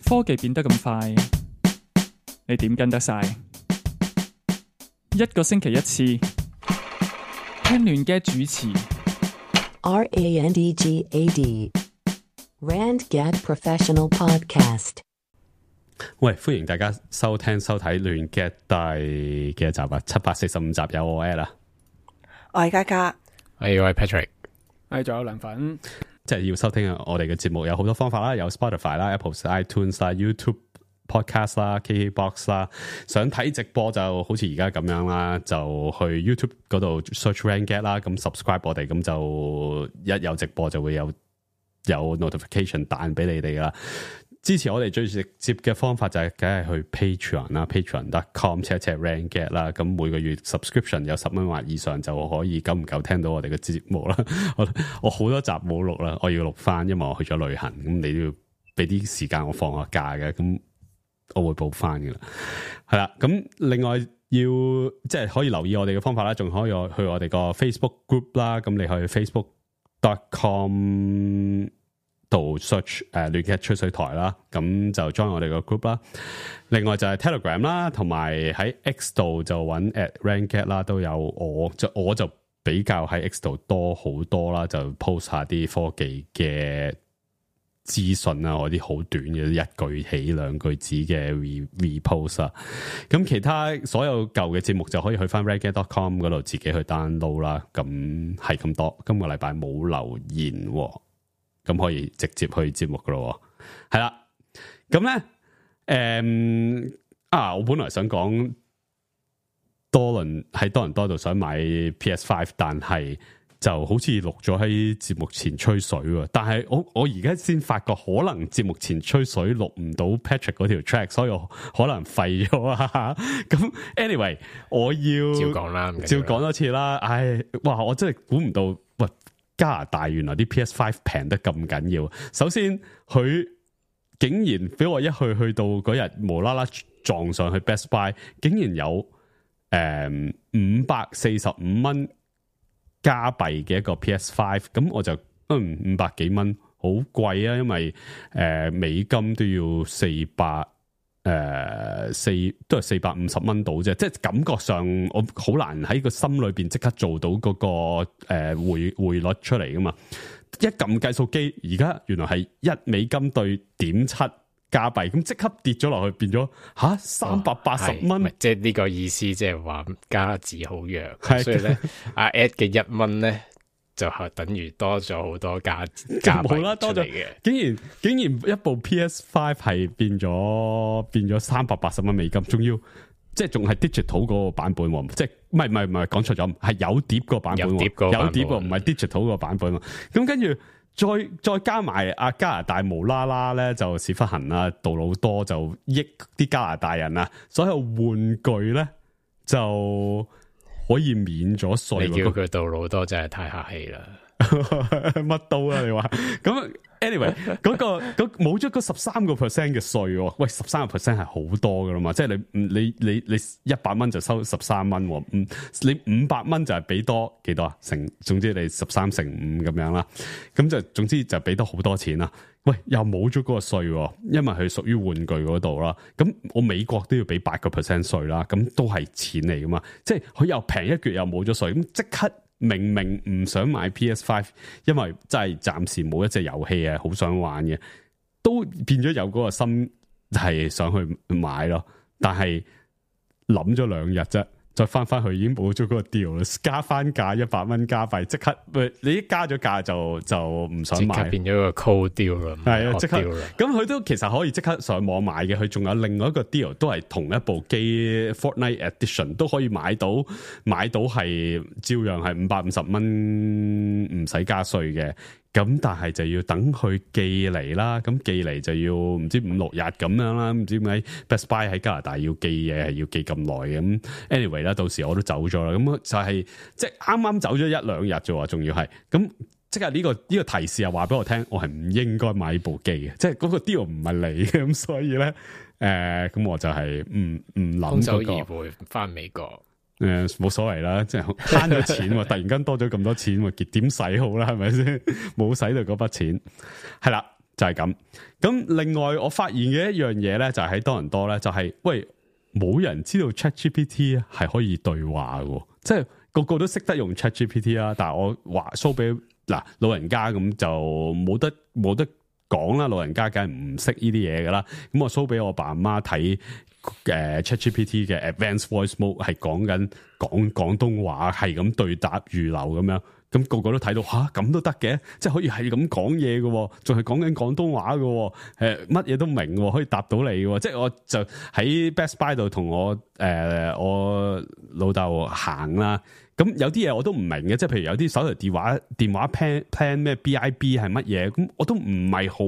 科技變得咁快，你點跟得晒？一個星期一次，聽亂嘅主持。RANDGAD RandGad Professional Podcast。喂，歡迎大家收聽收睇亂 get 第幾集啊？745集有我 at 啊，我係嘉嘉，我係 Patrick， 仲有涼粉，即係要收聽我哋嘅節目有好多方法啦，有 Spotify 啦、Apple iTunes 啦、YouTube Podcast 啦、KKBox 啦。想睇直播就好似而家咁樣啦，就去 YouTube 嗰度 search RandGad 啦，咁 subscribe 我哋，咁就一有直播就會有 notification 彈俾你哋噶啦。支持我哋最直接嘅方法就係梗係去 Patreon 啦 ，patreon.com/RandGad 啦。咁每個月 subscription 有10蚊或以上就可以久唔久聽到我哋嘅節目啦。我好多集冇錄啦，我要錄翻，因為我去咗旅行，咁你都要俾啲時間我放下假嘅，咁我會補翻噶啦。係啦，咁另外要即係可以留意我哋嘅方法啦，仲可以去我哋個 Facebook group 啦。咁你去 facebook.com度 search 亂 get 吹水台啦，咁就 join 我哋個 group 啦。另外就係 Telegram 啦，同埋喺 X 度就揾 @RandGad 啦，都有我就比較喺 X 度多好多啦，就 post 下啲科技嘅資訊啊，我啲好短嘅一句起兩句子嘅 repost 啊。咁其他所有舊嘅節目就可以去翻 randgad.com 嗰度自己去 download 啦。咁係咁多，今個禮拜冇留言喎。咁可以直接去節目噶咯，係啦。咁咧，我本來想講多倫多度想買 PS5， 但係就好似錄咗喺節目前吹水喎。但係我而家先發覺，可能節目前吹水錄唔到 Patrick 嗰條 track， 所以我可能廢咗啊。咁 anyway， 我要照講啦，照講多次啦。唉，哇！我真係估唔到，喂！加拿大原來啲 PS5 平得咁緊要。首先佢竟然俾我一去到嗰日無啦啦撞上去 Best Buy， 竟然有545蚊加幣嘅一個 PS5， 咁我就500幾蚊，好貴啊！因為美金都要400。都係450蚊到啫，即係感覺上我好難喺個心裏邊即刻做到嗰個匯率出嚟噶嘛。一撳計數機，而家原來係1美金對0.7加幣，咁即刻跌咗落去，變咗380蚊。即係呢個意思，即係話加字好弱，所以咧阿 Ed 嘅1蚊咧就係等於多咗好多加幣啦，多咗嘅。竟然一部 PS5 係變咗380蚊美金，仲要即係仲係 digital 嗰個版本，即係唔係講錯咗，係有碟個版本，有碟唔係 digital 個版本。咁跟住再加埋加拿大無啦啦咧就屎忽痕啦，杜魯多就益啲加拿大人啊，所有玩具咧就可以免咗稅。你叫佢杜魯多真係太客氣啦，乜都啊你話咁。anyway 嗰冇咗嗰13% 嘅稅，喂 13% 係好多噶啦嘛，即係你100蚊就收13蚊，你500蚊就係俾多幾多啊？總之你13乘5咁樣啦，咁就總之就俾多好多錢啦。喂，又冇咗嗰個稅，因為佢屬於玩具嗰度啦。咁我美國都要俾8% 稅啦，咁都係錢嚟噶嘛。即係佢又平一橛又冇咗稅，咁即刻。明明唔想買 PS5， 因為真係暫時冇一隻遊戲好想玩嘅，都變咗有嗰個心係想去買咯。但係諗咗2日啫，再翻去已經冇咗嗰個 deal 啦，加翻價100蚊加幣，即刻你一加咗價就唔想買，即刻變咗個 cold deal 啦，係啊，即刻咁佢都其實可以即刻上網買嘅，佢仲有另外一個 deal 都係同一部機 Fortnite Edition 都可以買到係照樣係550蚊唔使加稅嘅。咁但係就要等佢寄嚟啦，咁寄嚟就要唔知5-6日咁樣啦，唔知點解 Best Buy 喺加拿大要寄嘢係要寄咁耐嘅。咁 anyway 啦，到時我都走咗啦，咁就係即係啱啱走咗1-2日啫，仲要係咁即係呢個提示又話俾我聽，我係唔應該買呢部機嘅，即係嗰個 deal 唔係你嘅，咁所以咧咁我就係唔諗空手而回翻美國。冇所謂啦，即係慳咗錢喎，突然間多咗咁多錢喎，點使好啦，係咪先？冇使到嗰筆錢，係啦。就係咁。咁另外我發現嘅一樣嘢咧，就係喺多倫多咧，就係喂冇人知道 ChatGPT 係可以對話嘅，即係個個都識得用 ChatGPT 啦。但係我話 show 俾嗱老人家咁就冇得講啦，老人家梗係唔識呢啲嘢噶啦。咁我 show 俾我爸阿媽睇ChatGPT 嘅 Advanced Voice Mode 係講廣東話，係咁對答如流咁樣。咁個個都睇到咁都得嘅，即係可以係咁講嘢嘅，仲係講緊廣東話嘅，乜嘢都明，可以答到你嘅。即係我就喺 Best Buy 度同我老豆行啦。咁有啲嘢我都唔明嘅，即係譬如有啲手提電話 plan 咩 BIB 係乜嘢，咁我都唔係好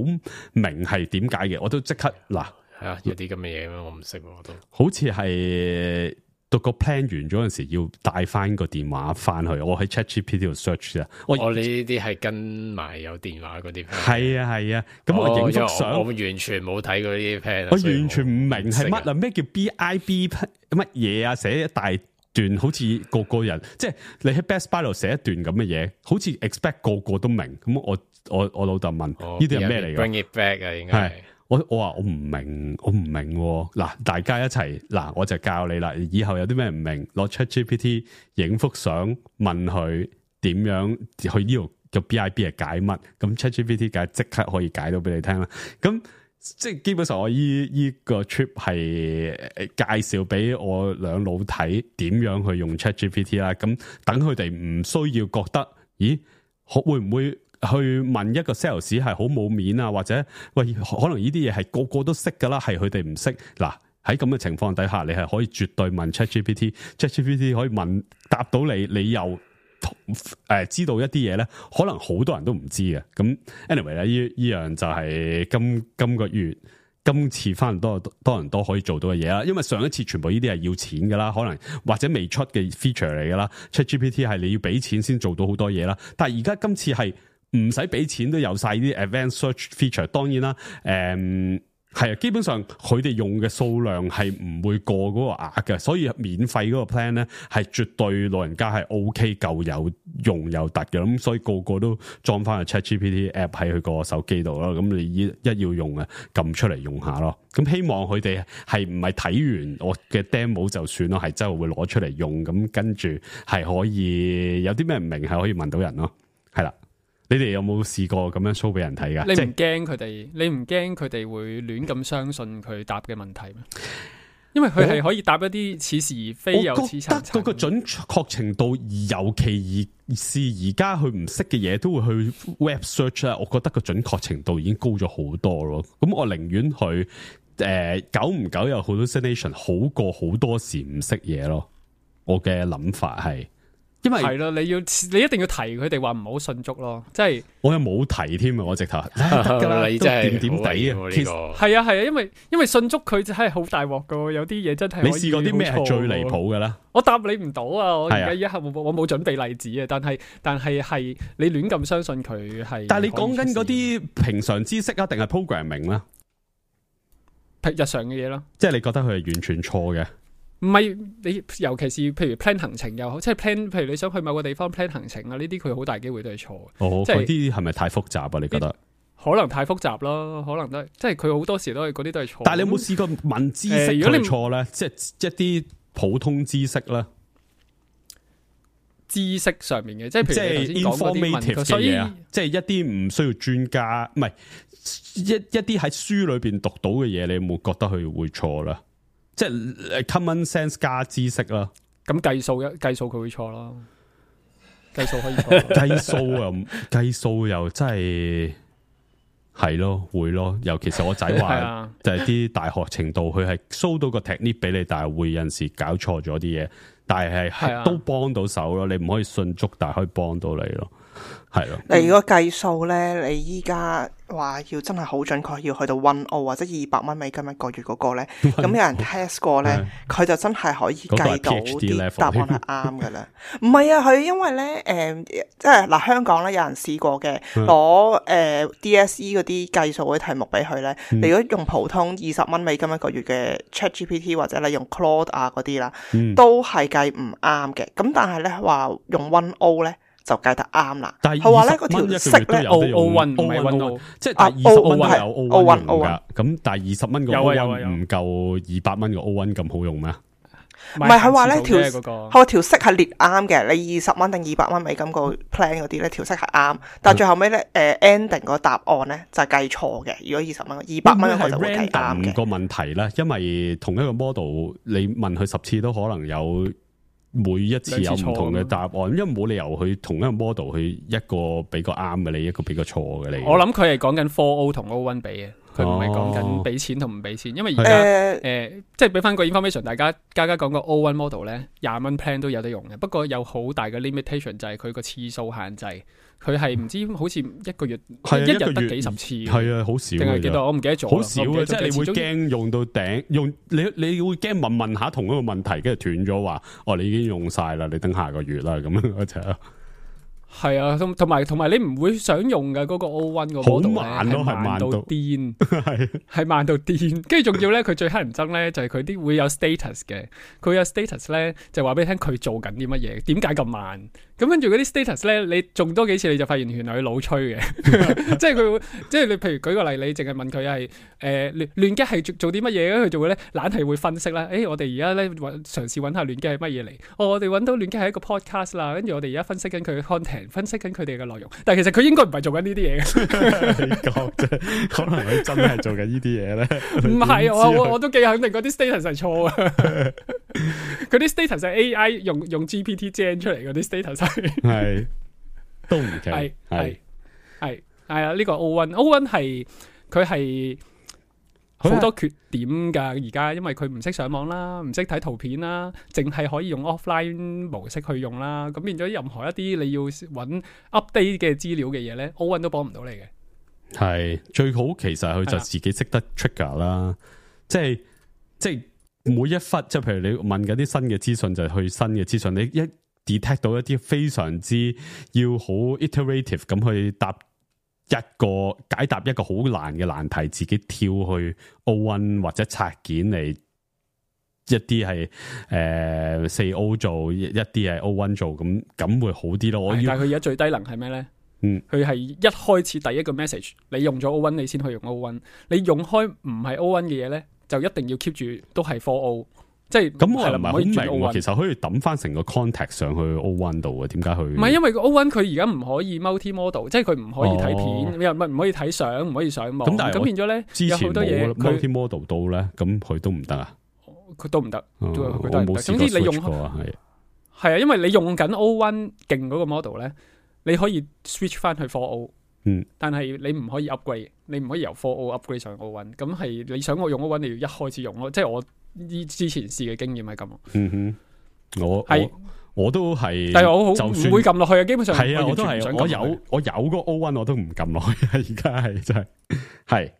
明係點解嘅，我都即刻嗱係啊，有啲咁嘅嘢咩？我唔識，我都好似係。到個 plan 完咗嗰陣時，要帶翻個電話翻去。我喺 ChatGPT 度 search 啊。我呢啲係跟埋有電話嗰啲 plan。係啊。咁我影幅相，我完全冇睇過呢啲 plan。我完全唔明係乜啊？咩叫 BIB 乜嘢啊？寫一大段，好似個人，即係你喺 Best Buy 度寫一段咁嘅嘢，好似 expect 個都明。咁我老豆問呢啲係咩嚟㗎 ？Bring it back 啊，應該係。我話我唔明嗱，大家一齊嗱，我就教你啦。以後有啲咩唔明，攞 ChatGPT 影幅相，問佢點樣去呢度嘅 BIB 係解乜，咁 ChatGPT 梗係即刻可以解到俾你聽啦。咁即係基本上我依個 trip 係介紹俾我兩老睇點樣去用 ChatGPT 啦。咁等佢哋唔需要覺得，咦，會唔會？去問一個 sales 係好冇面啊，或者喂，可能呢啲嘢係個個都識噶啦，係佢哋唔識。嗱，喺咁嘅情況底下，你係可以絕對問 ChatGPT 可以答到你，你又知道一啲嘢咧，可能好多人都唔知嘅。咁 anyway 咧，呢樣就係今個月今次翻多倫多可以做到嘅嘢啦。因為上一次全部呢啲係要錢噶啦，可能或者未出嘅 feature 嚟噶啦。ChatGPT 係你要俾錢先做到好多嘢啦，但係而家今次係唔使俾錢都有晒啲 advanced search feature， 當然啦，係啊，基本上佢哋用嘅數量係唔會過嗰個額嘅，所以免費嗰個 plan 咧係絕對老人家係 OK 夠有用有突嘅，咁所以個個都裝翻個 ChatGPT app 喺佢個手機度咯，咁你一要用啊，撳出嚟用下咯，咁希望佢哋係唔係睇完我嘅 demo 就算咯，係真係會攞出嚟用，咁跟住係可以有啲咩唔明係可以問到人咯，係啦。你哋有冇試過咁樣 show 俾人睇噶？你唔驚佢哋？你唔驚佢哋會亂咁相信佢答嘅問題咩？因為佢係可以答一啲似是而非又似層層。我覺得嗰個準確程度，尤其是而家佢唔識嘅嘢，都會去 web search 啦。我覺得個準確程度已經高咗好多咯。咁我寧願佢久唔久有 hallucination 好過好多時唔識嘢咯。我嘅諗法係。因為係咯，你一定要提佢哋話唔好信足咯，即係我又冇提添啊！我直頭得噶啦，你真係點點地啊！其實係啊，因為信足佢真係好大鑊噶，有啲嘢真係你試過啲咩係最離譜噶啦？我答你唔到啊！我而家一刻我冇準備例子啊，但係你亂咁相信佢係。但係你講緊嗰啲平常知識啊，定係 programming 啦？日常嘅嘢咯，即係你覺得佢係完全錯嘅。唔係你，尤其是譬如 plan 行程又好，即係 plan，譬如你想去某個地方 plan 行程啊，呢啲佢好大機會都係錯嘅。哦，即係嗰啲係咪太複雜啊？你覺得？可能太複雜咯，可能都係，即係佢好多時都係嗰啲都係錯。但係你有冇試過問知識如果你錯咧？即係一啲普通知識咧，知識上面嘅，即係譬如 informative 嘅嘢啊，即係一啲唔需要專家，唔係一啲喺書裏邊讀到嘅嘢，你有冇覺得佢會錯啦？即係 common sense 加知識啦，咁計數佢會錯咯，計數可以錯，計數又真係咯，會咯，尤其是我仔話就係啲大學程度，佢係 show 到個 technique 俾你，但係會有陣時搞錯咗啲嘢，但係都幫到手咯，你唔可以信足，但係可以幫到你咯。係咯，你如果計數咧，你依家話要真係好準確，要去到10或者$200美金一個月嗰個咧，咁有人 test 過咧，佢就真係可以計到啲答案係啱嘅啦。唔係啊，佢因為咧，即係嗱，香港咧有人試過嘅，攞DSE 嗰啲計數嗰啲題目俾佢咧，你如果用普通$20美金一個月嘅 ChatGPT 或者你用 Claude 啊嗰啲啦，都係計唔啱嘅。咁但係咧話用10咧。就計得啱啦。但係佢話咧嗰條息咧 O1 唔係 1O， 即係但係20蚊都有 O1 用 O1 㗎。咁但係20蚊個 O1 唔夠200蚊個 O1 咁好用咩？唔係佢話咧佢條息係列啱嘅，你20蚊定200蚊美金個 plan 嗰啲咧條息係啱，但係最後尾咧ending 個答案咧就係計錯嘅。如果20蚊、200蚊我就會計啱嘅。個問題咧，因為同一個 model 你問佢10次都可能有每一次有唔同嘅答案，因為冇理由去同一個 model 去一個俾個啱嘅你，一個俾個錯嘅你。我諗佢係講緊 4O 同 O1 比嘅。佢唔係講緊俾錢同唔俾錢，因為而家即係俾翻個 information，大家講個 O1 model 咧，20蚊 plan 都有得用嘅。不過有好大嘅 limitation 就係佢個次數限制，佢係唔知好似一個月一日得幾十次，係啊，好少定係幾多？我唔記得咗，好少嘅，即係你會驚用到頂，你會驚問下同一個問題，跟住斷咗話，哦，你已經用晒啦，你等下個月啦咁樣就。係啊，同埋你唔會想用嘅嗰個 O1 個 model 咧，係慢到癲，係慢到癲。跟住仲要咧，佢最乞人憎咧就係佢啲會有 status 嘅，佢有 status 咧就話俾你聽佢做緊啲乜嘢，點解咁慢？咁跟住嗰啲 status 咧，你中多幾次你就發現原來佢老吹嘅，即係佢會，即係你譬如舉個例，你淨係問佢係亂擊係做啲乜嘢咧，佢就會咧懶係會分析啦。我哋而家咧嘗試揾下亂擊係乜嘢嚟？我哋揾到亂擊係一個 podcast 啦，跟住我哋而家分析緊佢嘅 content， 分析緊佢哋嘅內容。但係其實佢應該唔係做緊呢啲嘢嘅。你講啫，可能佢真係做緊呢啲嘢咧。唔係，我都幾肯定嗰啲 status 係錯嘅。嗰啲 status 係 AI 用 GPT gen 出嚟嗰啲 status。係都唔奇，係啊！呢個 O1 係佢係好多缺點噶，而家因為佢唔識上網啦，唔識睇圖片啦，淨係可以用 offline 模式去用啦，咁變咗任何一啲你要揾 update 嘅資料嘅嘢咧，O1 都幫唔到你嘅。係最好，其實佢就自己識得 trigger 啦，即係每一忽，即係譬如你問緊啲新嘅資訊，就係去新嘅資訊，你一detect 到一啲非常之要好 iterative 咁去解答一個好難嘅難題，自己跳去 O1 或者拆件嚟，一啲係4O 做，一啲係 O1 做，咁會好啲咯。但係佢而家最低能係咩咧？佢係一開始第一個 message， 你用咗 O1 你先可以用 O1， 你用開唔係 O1 嘅嘢咧，就一定要 keep 住都係 4O。即係咁，我又唔係好明，其實可以抌翻成個 context 上去 O1 度嘅，點解佢？唔係因為個 O1 佢而家唔可以 multi model， 即係佢唔可以睇片，又唔可以睇相，唔可以上網。咁變咗咧，有好多嘢 multi model 到咧，咁佢都唔得啊？佢都唔得，佢都唔得。總之你用係啊，因為你用緊 O1 勁嗰個 model 咧，你可以 switch 翻去 4O。但係你唔可以 upgrade， 你唔可以由 4O upgrade 上 O1。咁係你想我用 O1，你要一開始用咯，即係我。之前試嘅經驗係咁，我都係，但係我好唔會撳落去啊！基本上係啊，我都係，我有個 O1 我都唔撳落去啊！而家係真係，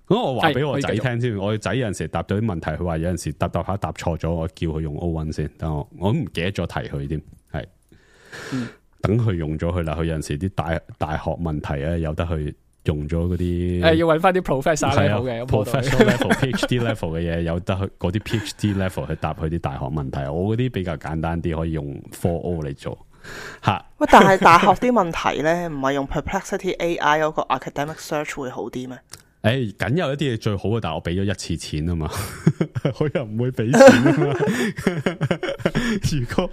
咁我話俾我仔聽先，我仔有陣時答到啲問題，佢話有陣時答下答錯咗，我叫佢用 O1 先，但我都唔記得咗提佢添，係，等佢用咗佢啦。佢有陣時啲大學問題啊，有得去。用咗嗰啲要揾翻啲 professor level 嘅 professor level、PhD level 嘅嘢，有得去嗰啲 PhD level 去答佢啲大學問題。我嗰啲比較簡單啲，可以用 4O 嚟做吓。喂，但係大學啲問題咧，唔係用 Perplexity AI 嗰個 academic search 會好啲咩？梗有一啲嘢最好嘅，但係我俾咗一次錢啊嘛，我又唔會俾錢啊嘛。如果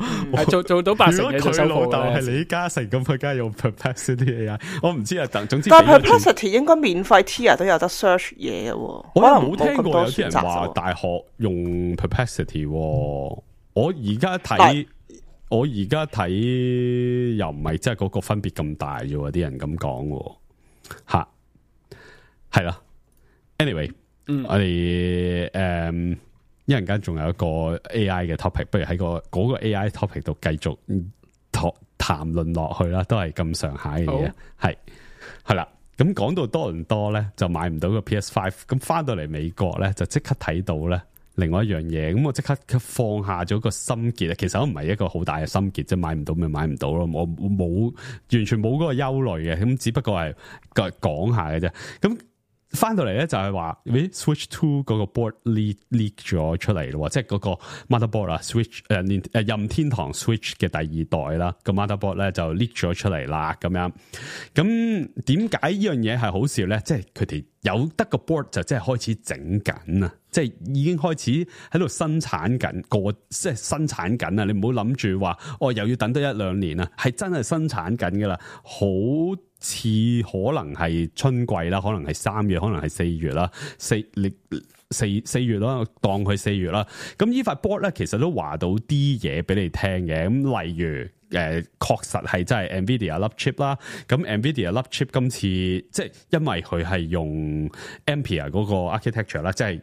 做到80%嘅就收貨。如果佢老豆係李嘉誠，咁佢梗係用 Perplexity AI。我唔知啊，總之。但係 Perplexity 應該免費 tier 都有得 search 嘢嘅。我冇聽過有啲人話大學用 Perplexity。我而家睇又唔係真係嗰個分別咁大啫，啲人咁講吓。係啦 ，anyway，我哋一陣間仲有一個 AI 嘅 topic， 不如喺嗰個 AI topic 度繼續談論落去啦，都係咁上下嘅嘢，係啦。咁講到多倫多咧，就買唔到個 PS5， 咁翻到嚟美國咧，就即刻睇到咧另外一樣嘢，咁我即刻放下咗個心結啊！其實都唔係一個好大嘅心結，即係買唔到咪買唔到咯，我冇完全冇嗰個憂慮嘅，咁只不過係講下嘅啫，咁。翻到嚟咧就係話，Switch 2嗰個 board leak 咗出嚟咯，即係嗰個 motherboard 啦，Switch 任天堂 Switch 嘅第二代啦，個 motherboard 咧就 leak 咗出嚟啦，咁樣。咁點解呢樣嘢係好笑咧？即係佢哋有得個 board 就即係開始整緊啊，即係已經開始喺度生產緊即係生產緊啊！你唔好諗住話又要等多1-2年啊，係真係生產緊噶啦，好似可能係春季啦，可能係3月，可能係4月啦，4月啦，當佢4月啦。咁呢塊 board 咧，其實都話到啲嘢俾你聽嘅。咁例如確實係真係 NVIDIA 粒 chip 啦。咁 NVIDIA 粒 chip 今次即係因為佢係用 Ampere 嗰個 architecture 啦，即係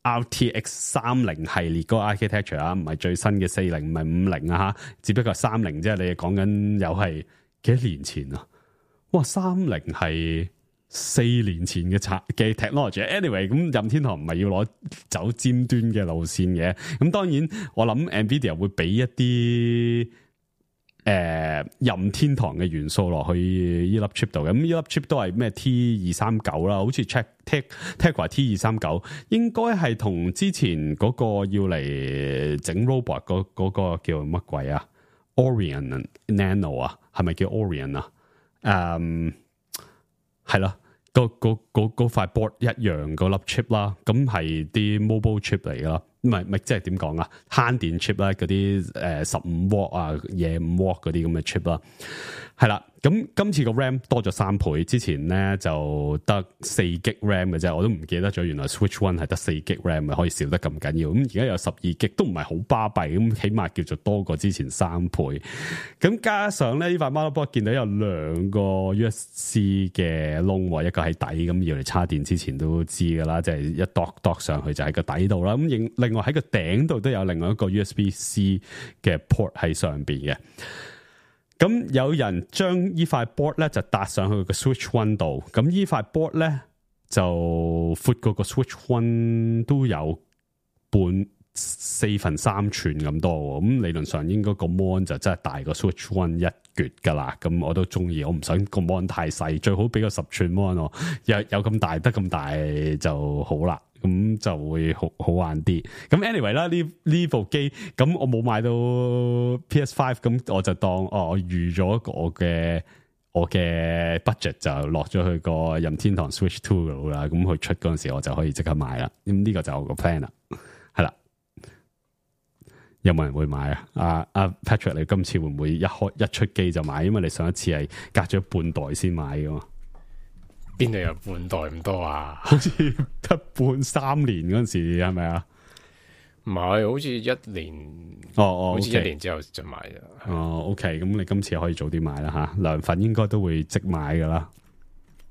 RTX 30系列嗰個 architecture 啊，唔係最新嘅40，唔係50啊吓，只不過係30啫。你講緊又係幾多年前啊？哇！30係4年前嘅technology。anyway， 咁任天堂唔係要攞走尖端嘅路線嘅。咁當然我諗 NVIDIA 會俾一啲任天堂嘅元素落去呢粒 chip 度。咁呢粒 chip 都係咩 T239啦，好似 Tegra T239，應該係同之前嗰個要嚟整 robot 嗰個叫乜鬼啊 ？Orion Nano 啊，係咪叫 Orion 啊？係啦，嗰塊 board 一樣個粒 chip 啦，咁係啲 mobile chip 嚟噶啦，唔係即係點講啊？慳電 chip 啦，嗰啲15 watt 啊，嘢5 watt 嗰啲咁嘅 chip 啦，係啦。咁今次個 RAM 多咗3倍，之前咧就得4GB RAM 嘅啫，我都唔記得咗，原來 Switch One 係得4GB RAM 可以少得咁緊要。咁而家有12GB都唔係好巴閉，咁起碼叫做多過之前3倍。咁加上咧呢塊 motherboard 見到有2個 USB-C 嘅窿，一個喺底，咁要嚟插電之前都知噶啦，即係一度上去就喺個底度啦。咁另外喺個頂度都有另外一個 USB-C 嘅 port 喺上邊嘅。咁有人將呢塊 board 咧就搭上去個 Switch One 度，咁呢塊 board 咧就闊過個 Switch One 都有4/3寸咁多，咁理論上應該個 mon 就真係大過 Switch One 一橛噶啦，咁我都中意，我唔想個 mon 太細，最好俾個10寸 mon 我，有咁大得咁大就好啦。咁就會好玩啲。咁 anyway 啦，呢部機咁我冇買到 PS5，咁我就當我預咗我嘅 budget 就落咗去個任天堂 Switch 2度啦。咁佢出嗰陣時，我就可以即刻買啦。咁呢個就係我個 plan 啦。係啦，有冇人會買啊？阿 Patrick， 你今次會唔會一出機就買？因為你上一次係隔咗半代先買噶嘛。邊度有半代咁多啊？好似得3年嗰陣時係咪啊？唔係，好似1年。好似1年之後就買咗。OK， 咁你今次可以早啲買啦吓，涼粉應該都會即買噶啦。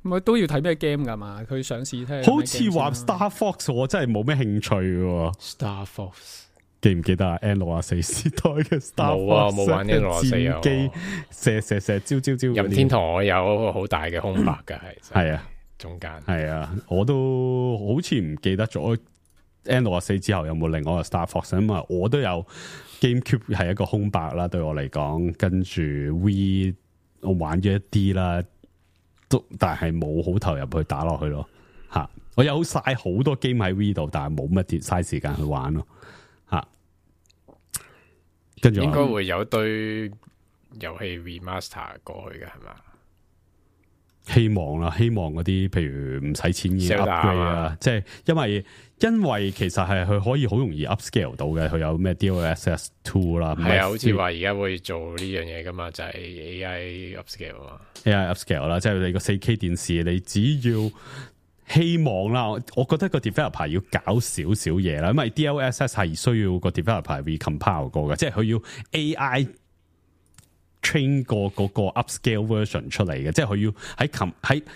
咪都要睇咩 game 噶嘛？佢上市聽。好似話 Star Fox， 我真係冇咩興趣嘅。Star Fox 記唔記得啊 N64 時代嘅 Star Fox？ 冇啊，冇玩 N64 啊。射招。任天堂我有好大嘅空白嘅，係啊，中間係啊，我都好似唔記得咗 N64 之後有冇另外一個 Star Fox， 因為我都有 GameCube 係一個空白啦，對我嚟講，跟住 Wii 我玩咗一啲啦，但係冇好投入去打落去咯。吓，我有晒好多 game 喺 Wii 度，但係冇乜啲嘥時間去玩咯。跟住應該會有堆遊戲 remaster 過去嘅係嘛？希望啦，希望嗰啲譬如唔使錢嘅 upgrade 啊，即係因為其實係佢可以好容易 upscale 到嘅，佢有咩 DLSS 2啦，係啊，好似話而家會做呢樣嘢噶嘛，就係 AI upscale 啊 ，AI upscale 啦，即係你個 4K 電視，你只要希望啦，我覺得個 developer 要搞少少嘢啦，因為 DLSS 係需要個 developer recompile 過嘅，即係佢要 AI train 過嗰個 upscale version 出嚟嘅，即係佢要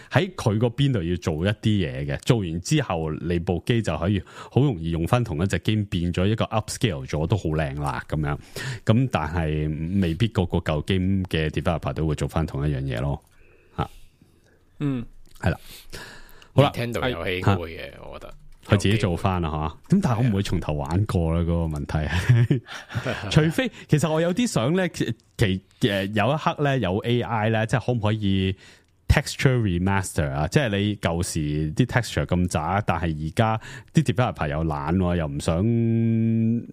喺佢個邊度要做一啲嘢嘅，做完之後你部機就可以好容易用翻同一隻 game 變咗一個 upscale 咗都好靚啦咁樣，咁但係未必個舊 game 嘅 developer 都會做翻同一樣嘢咯，吓，係啦。好啦，聽到遊戲會嘅，我覺得佢自己做翻啦，吓。咁但係我唔會從頭玩過啦，嗰個問題。除非其實我有啲想咧，有一刻咧有 AI 咧，即係可唔可以 texture remaster 啊，即係你舊時啲 texture 咁渣，但係而家啲 developer 又懶，又唔想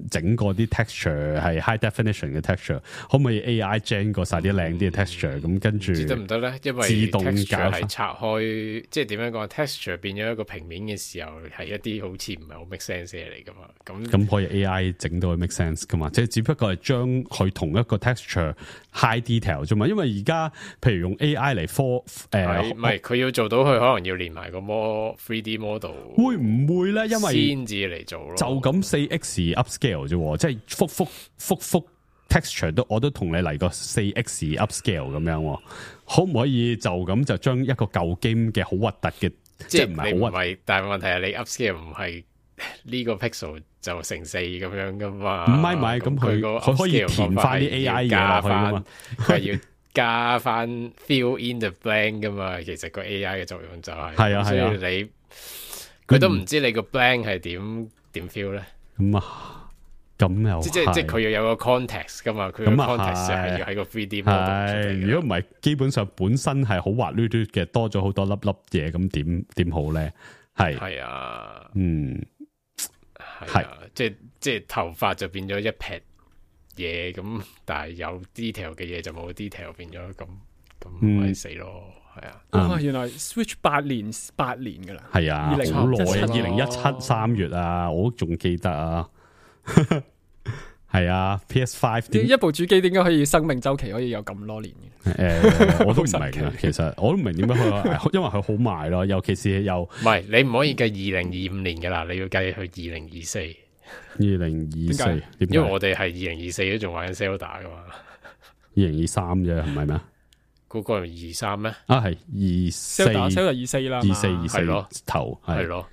整個啲 texture 係 high definition 嘅 texture， 可唔可以 AI gen 過晒啲靚啲嘅 texture？ 咁跟住得唔得咧？因為自動 texture 係拆開，即係點樣講 texture 變咗一個平面嘅時候，係一啲好似唔係好 make sense 嘅嚟噶嘛。咁可以 AI 整到佢 make sense 噶嘛？即係只不過係將佢同一個 texture high detail 啫嘛。因為而家譬如用 AI 嚟唔係佢要做到佢，可能要連埋個 3D model， 會唔會咧？因為先至嚟做咯。就咁 4x upscale 啫，即係複 texture 我都同你嚟個 4x upscale 咁樣，可唔可以就咁就將一個舊 game 嘅好核突嘅，即係唔係好核突？但係問題係你 upscale 唔係呢個 pixel 就乘4咁樣噶嘛？唔係咁佢可以填翻啲 AI 嘢落去噶嘛？佢係要加翻 fill in the blank 噶嘛？其實個 AI 嘅作用就係係啊，所以你佢都唔知你個 blank 係點 fill 咧？咁又即係佢要有個 context 噶嘛？佢個 context 係要喺個 3D model。如果唔係，基本上本身係好滑捋捋嘅，多咗好多粒嘢，咁點好咧？係啊，係即係頭髮就變咗一撇嘢咁，但係有 detail 嘅嘢就冇 detail 變咗咁咪死咯，係啊！哇，原來 Switch 8年噶啦，係啊，好耐啊，2017 3月啊，我仲記得啊。係啊 ，PS5 一部主機點解可以生命周期可以有咁多年嘅？我都唔明啊。其實我都唔明點解佢，因為佢好賣咯，尤其是又唔係你唔可以計2025年噶啦，你要計去2024。2024，因為我哋係2024都仲玩緊 Zelda 噶嘛。2023啫，係咪咩？嗰個係23咩？啊，係24啦，24頭係咯。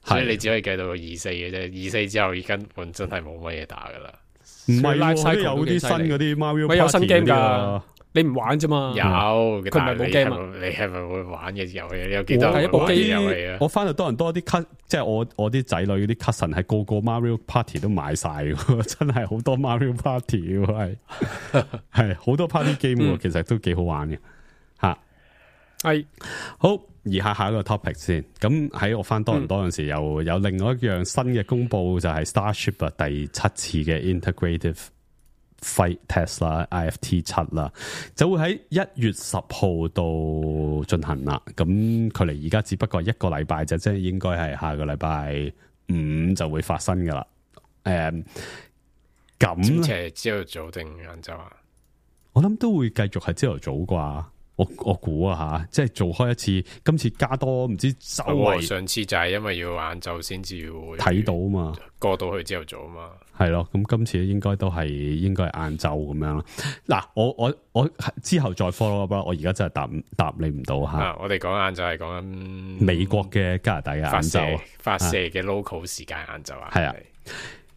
所以你只可以計到24嘅啫，24之後根本真係冇乜嘢打噶啦。唔係，有啲新嗰啲 Mario Party 有新 game 噶，你唔玩啫嘛。有，佢唔係冇 game 啊。你係咪會玩嘅遊戲？你有幾多係一部機遊戲啊？我翻到多人多啲 cut，即係我啲仔女嗰啲 cousin 係個個 Mario Party 都買晒，真係好多 Mario Party 係好多 party game，其實都幾好玩嘅吓。係好。而下一個 topic 先，咁喺我翻多倫多嗰陣時，又有另外一樣新嘅公佈，就係 Starship 啊第7次嘅 Integrative Flight Test 啦 ，IFT 7啦，就會喺1月10號度進行啦。咁距離而家只不過1個禮拜啫，即係應該係下個禮拜5就會發生噶啦。咁係朝頭早定晏晝啊？我諗都會繼續係朝頭早啩。我估啊吓，即係做開一次，今次加多唔知周圍。上次就係因為要晏晝先至會睇到啊嘛，過到去朝頭早啊嘛，係咯。咁今次應該係晏晝咁樣啦。嗱，我之後再 follow up，我而家真係答你唔到吓。我哋講晏晝係講緊美國嘅加拿大嘅晏晝發射嘅 local 時間晏晝啊。係啊，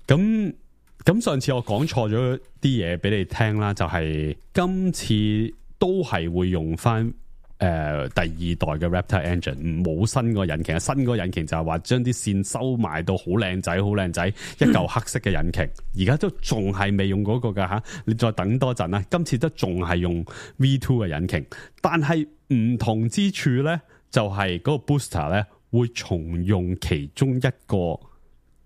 咁上次我講錯咗啲嘢俾你聽啦，就係今次。都係會用翻第二代嘅 Raptor Engine， 冇新個引擎。新個引擎就係話將啲線收埋到好靚仔，一嚿黑色嘅引擎。而家都仲係未用嗰個噶吓，你再等多陣啦。今次都仲係用 V2 嘅引擎，但係唔同之處咧，就係嗰個 booster 咧會重用其中一個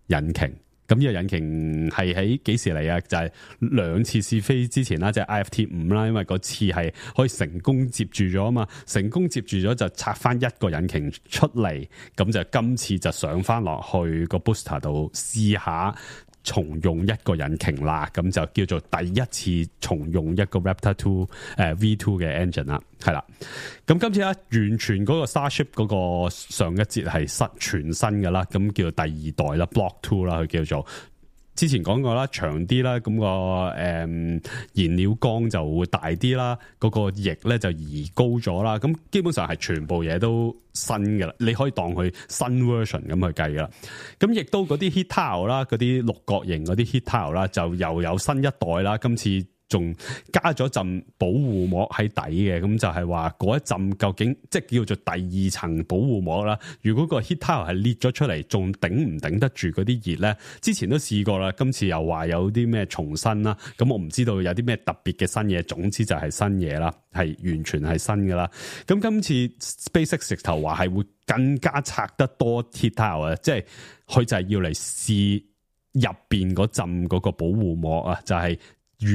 引擎。咁呢個引擎係喺幾時嚟啊？就係2次試飛之前啦，就係 IFT 5啦，因為嗰次係可以成功接住咗啊嘛，成功接住咗就拆翻一個引擎出嚟，咁就今次就上翻落去個 booster 度試下重用一個引擎啦，咁就叫做第一次重用一個 Raptor 2 V2 嘅 engine 啦，係啦。咁今次咧完全嗰個 Starship 嗰個上一節係全新嘅啦，咁叫做第二代啦 Block 2啦，佢叫做。之前講過啦，長啲啦，咁個燃料缸就會大啲啦，嗰個翼咧就移高咗啦，咁基本上係全部嘢都新嘅啦，你可以當佢新 version 咁去計噶啦。咁亦都嗰啲 heat tile 啦，嗰啲六角形嗰啲 heat tile 啦，就又有新一代啦，今次仲加咗陣保護膜喺底嘅，咁就係話嗰一陣究竟即係叫做第二層保護膜啦。如果個 heat towel 係裂咗出嚟，仲頂唔頂得住嗰啲熱咧？之前都試過啦，今次又話有啲咩重新啦，咁我唔知道有啲咩特別嘅新嘢，總之就係新嘢啦，係完全係新噶啦。咁今次 SpaceX 直頭話係會更加拆得多 heat towel 啊，即係佢就係要嚟試入邊嗰陣嗰個保護膜啊，就係、是、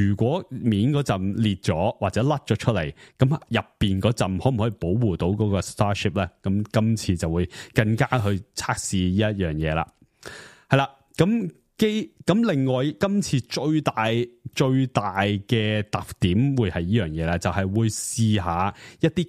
如果面嗰陣裂咗或者甩咗出嚟，咁入邊嗰陣可唔可以保護到嗰個 Starship 咧？咁今次就會更加去測試呢一樣嘢啦。係啦，咁另外今次最大嘅特點會係呢樣嘢咧，就係、是、會試下一啲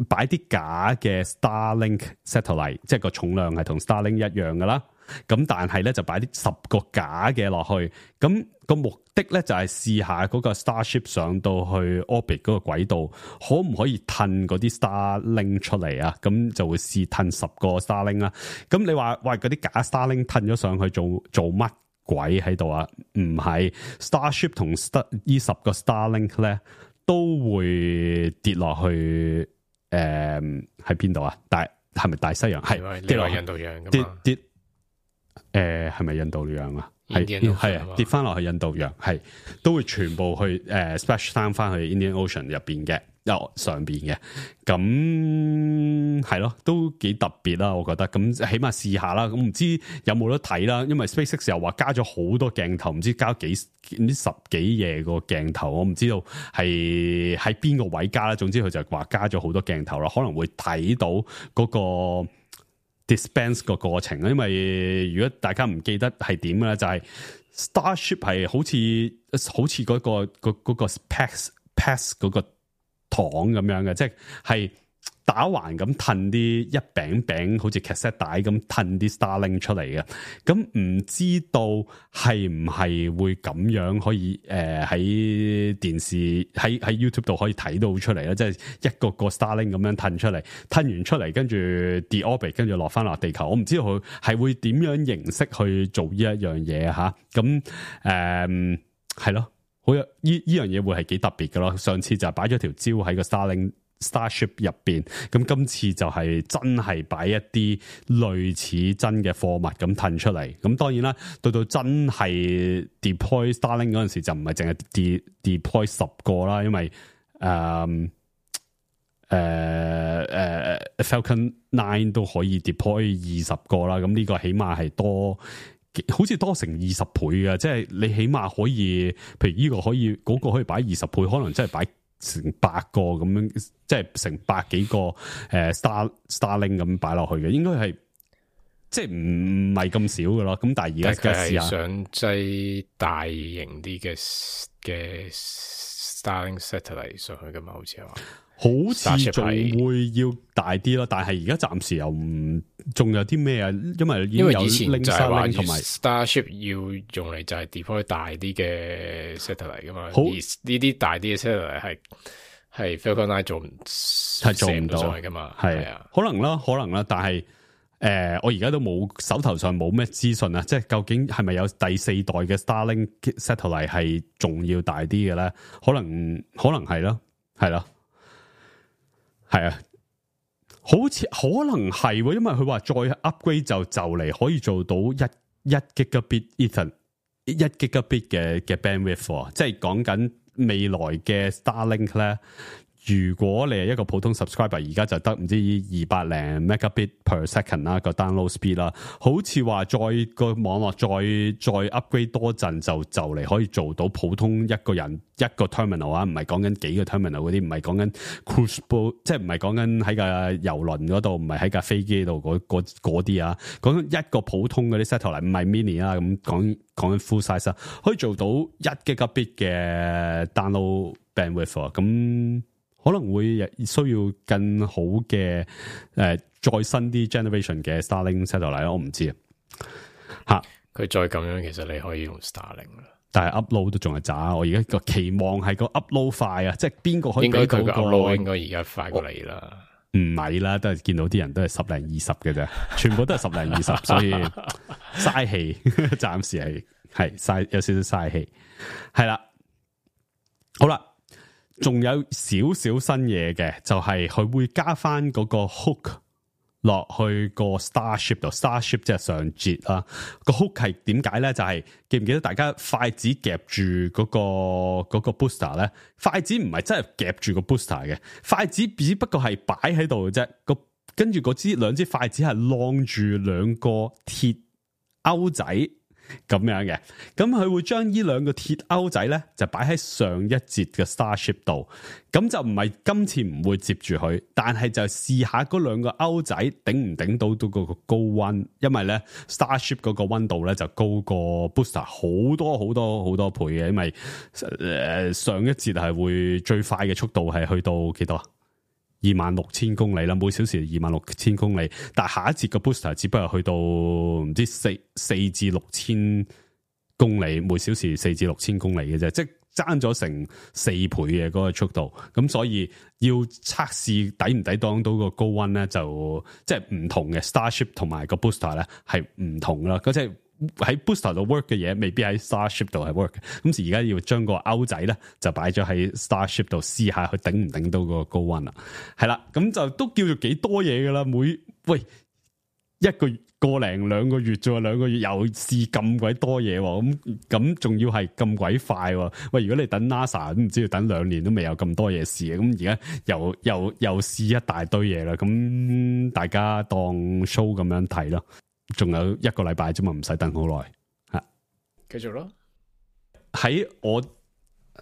擺啲假嘅 Starlink satellite， 即係個重量係同 Starlink 一樣噶啦。咁但係咧就擺啲10個假嘅落去，咁個目的咧就係試下嗰個 Starship 上到去 orbit 嗰個軌道，可唔可以褪嗰啲 Starlink 出嚟啊？咁就會試褪10個 Starlink 啦。咁你話喂嗰啲假 Starlink 褪咗上去做乜鬼喺度啊？唔係 Starship 同呢10個 Starlink 咧都會跌落去喺邊度啊？係咪大西洋？係跌落印度洋㗎嘛？跌係咪印度洋啊？係啊，跌翻落去印度洋，係都會全部去splash down 翻去 Indian Ocean 入邊嘅，上邊嘅，咁係咯，都幾特別啦，我覺得。咁起碼試下啦，咁唔知有冇得睇啦？因為 SpaceX 又話加咗好多鏡頭，唔知加10幾嘢個鏡頭，我唔知道係喺邊個位加啦。總之佢就話加咗好多鏡頭啦，可能會睇到嗰個dispense 個過程，因為如果大家唔記得係點咧，就係、是、Starship 係好似嗰個 PAX 嗰個糖咁樣嘅，即係打橫咁褪啲一餅好似 cassette 帶咁褪啲 Starlink 出嚟嘅。咁唔知道係唔係會咁樣可以喺電視喺 YouTube 度可以睇到出嚟咧？即係一個 Starlink 咁樣褪出嚟，褪完出嚟跟住 de-orbit， 跟住落翻落地球。我唔知道佢係會點樣形式去做呢一樣嘢吓。咁係咯，好有呢樣嘢會係幾特別嘅咯。上次就擺咗條蕉喺個 Starship 入邊，咁今次就係真係擺一啲類似真嘅貨物咁褪出嚟。咁當然啦，到真係 deploy Starlink 嗰陣時就唔係淨係 deploy 10個啦，因為Falcon 9都可以 deploy 20個啦。咁呢個起碼係多，好似多成20倍嘅，即係你起碼可以，譬如呢個可以，嗰個可以擺20倍，可能真係擺成100個咁樣，即係成100幾個Starlink 咁擺落去嘅，應該係即係唔係咁少嘅咯。咁但係而家試下想擠大型啲嘅 Starlink satellite 上去噶嘛？好似係話，好似仲會要大啲咯。但係而家暫時又唔，仲有啲咩啊？因為以前就係話同埋 Starship 要用嚟就係 deploy 大啲嘅 satellite 噶嘛。而呢啲大啲嘅 satellite 係 Falcon 9做唔到上去噶嘛。係啊，可能啦。但係我而家都冇，手頭上冇咩資訊啊。即係究竟係咪有第4代嘅 Starlink satellite 係仲要大啲嘅咧？可能係咯，係咯。係啊，好似可能係，因為佢話再 upgrade 就嚟可以做到一 gigabit Ethernet 1 gigabit 嘅 bandwidth， 即係講緊未來嘅 Starlink 咧。如果你係一個普通 subscriber， 而家就得唔知200零 megabit per second 啦，個 download speed 啦，好似話再個網絡再 upgrade 多陣就嚟可以做到普通一個人一個 terminal 啊，唔係講緊幾個 terminal 嗰啲，唔係講緊 cruise boat， 即係唔係講緊喺架遊輪嗰度，唔係喺架飛機度嗰啲啊，講緊一個普通嗰啲 satellite 唔係 mini 啊，咁講緊 full size 啊，可以做到1 gigabit 嘅 download bandwidth 啊，咁可能會需要更好嘅再新啲 generation 嘅 Starlink satellite， 我唔知啊。佢再咁樣，其實你可以用 Starlink 啦。但係 upload 都仲係渣。我而家個期望係個 upload 快啊，即係邊個可以俾到個 upload 應該而家快過你啦。唔係啦，都係見到啲人都係10零20嘅啫，全部都係10零20，所以嘥氣，暫時係嘥有少少嘥氣，係啦。好啦，仲有少少新嘢嘅，就係佢會加翻嗰個 hook 落去個 Starship 度 ，Starship 即係上節啦。個 hook 係點解咧？就係記唔記得大家筷子夾住嗰個 booster 咧？筷子唔係真係夾住個 booster 嘅，筷子只不過係擺喺度嘅啫。跟住兩支筷子係晾住兩個鐵鈎仔咁樣嘅，咁佢會將呢兩個鐵鈎仔咧就擺喺上一節嘅 Starship 度，咁就唔係今次唔會接住佢，但係就試下嗰兩個鈎仔頂唔頂到嗰個高溫，因為咧 Starship 嗰個溫度咧就高過 Booster 好多好多好多倍嘅，因為上一節係會最快嘅速度係去到幾多？26,000公里啦，每小時26,000公里，但係下一節個 booster 只不過去到唔知4至6千公里，每小時4至6千公里嘅啫，即係爭咗成4倍嘅嗰個速度，咁所以要測試抵唔抵擋到個高溫咧，就即係唔同嘅 Starship 同埋個 booster 咧係唔同啦，嗰即係。喺 booster 度 work 嘅嘢，未必喺 Starship 度係 work 嘅。咁而家要將個鈎仔咧，就擺咗喺 Starship 度試下，佢頂唔頂到個高溫啦。係啦，咁就都叫做幾多嘢噶啦。一個零2個月啫，2個月又試咁鬼多嘢，咁仲要係咁鬼快。喂，如果你等 NASA 都唔知要等2年都未有咁多嘢試嘅，咁而家又試一大堆嘢啦。咁大家當 show 咁樣睇咯。仲有1個禮拜啫嘛，唔使等好耐吓。繼續咯。喺我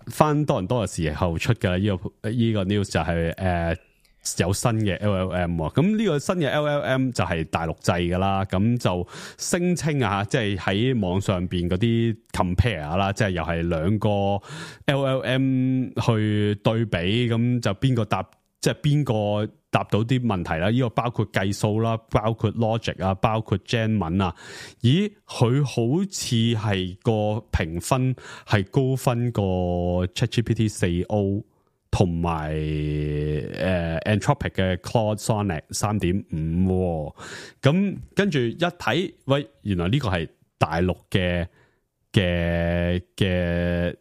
翻多倫多嘅時候出嘅呢個 news 就係有新嘅 LLM， 咁呢個新嘅 LLM 就係大陸製噶啦，咁就聲稱啊，即係喺網上邊嗰啲 compare 啦，即係又係2個 LLM 去對比，咁就邊個答，即係邊個答到啲問題啦？呢個包括計數啦，包括 logic 啊，包括 Gen 文啊。咦，佢好似係個評分係高分過 ChatGPT 4O 同埋Anthropic 嘅 Claude Sonnet 3.5。咁跟住一睇，喂，原來呢個係大陸嘅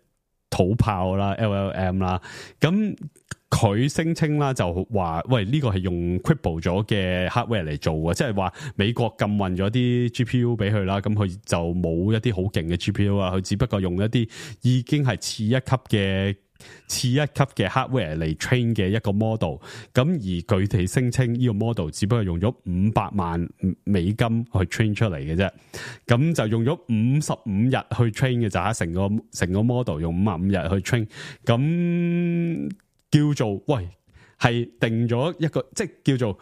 土炮啦 ，LLM 啦，咁。佢聲稱啦，就話喂，呢個係用 cripple 咗嘅 hardware 嚟做嘅，即係話美國禁運咗啲 GPU 俾佢啦，咁佢就冇一啲好勁嘅 GPU 啊，佢只不過用一啲已經係次一級嘅 hardware 嚟 train 嘅一個 model， 咁而佢哋聲稱呢個 model 只不過用咗500萬美金去 train 出嚟嘅啫，咁就用咗55日去 train 嘅咋，成個 model 用55日去 train， 咁。叫做喂，係定咗一個，即係叫做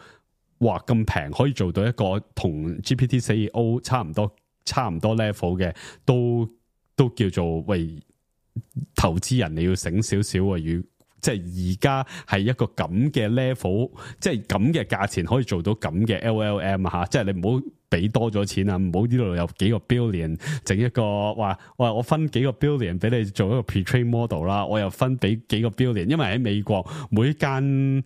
哇咁平可以做到一個同 GPT-4o 差唔多 level 嘅，都叫做喂，投資人你要醒少少啊！即係而家係一個咁嘅 level， 即係咁嘅價錢可以做到咁嘅 LLM 吓，即係你唔好俾多咗錢啊！唔好呢度有幾個 billion 整一個話，我分幾個 billion 俾你做一個 pre-train model 啦，我又分俾幾個 billion， 因為喺美國每一間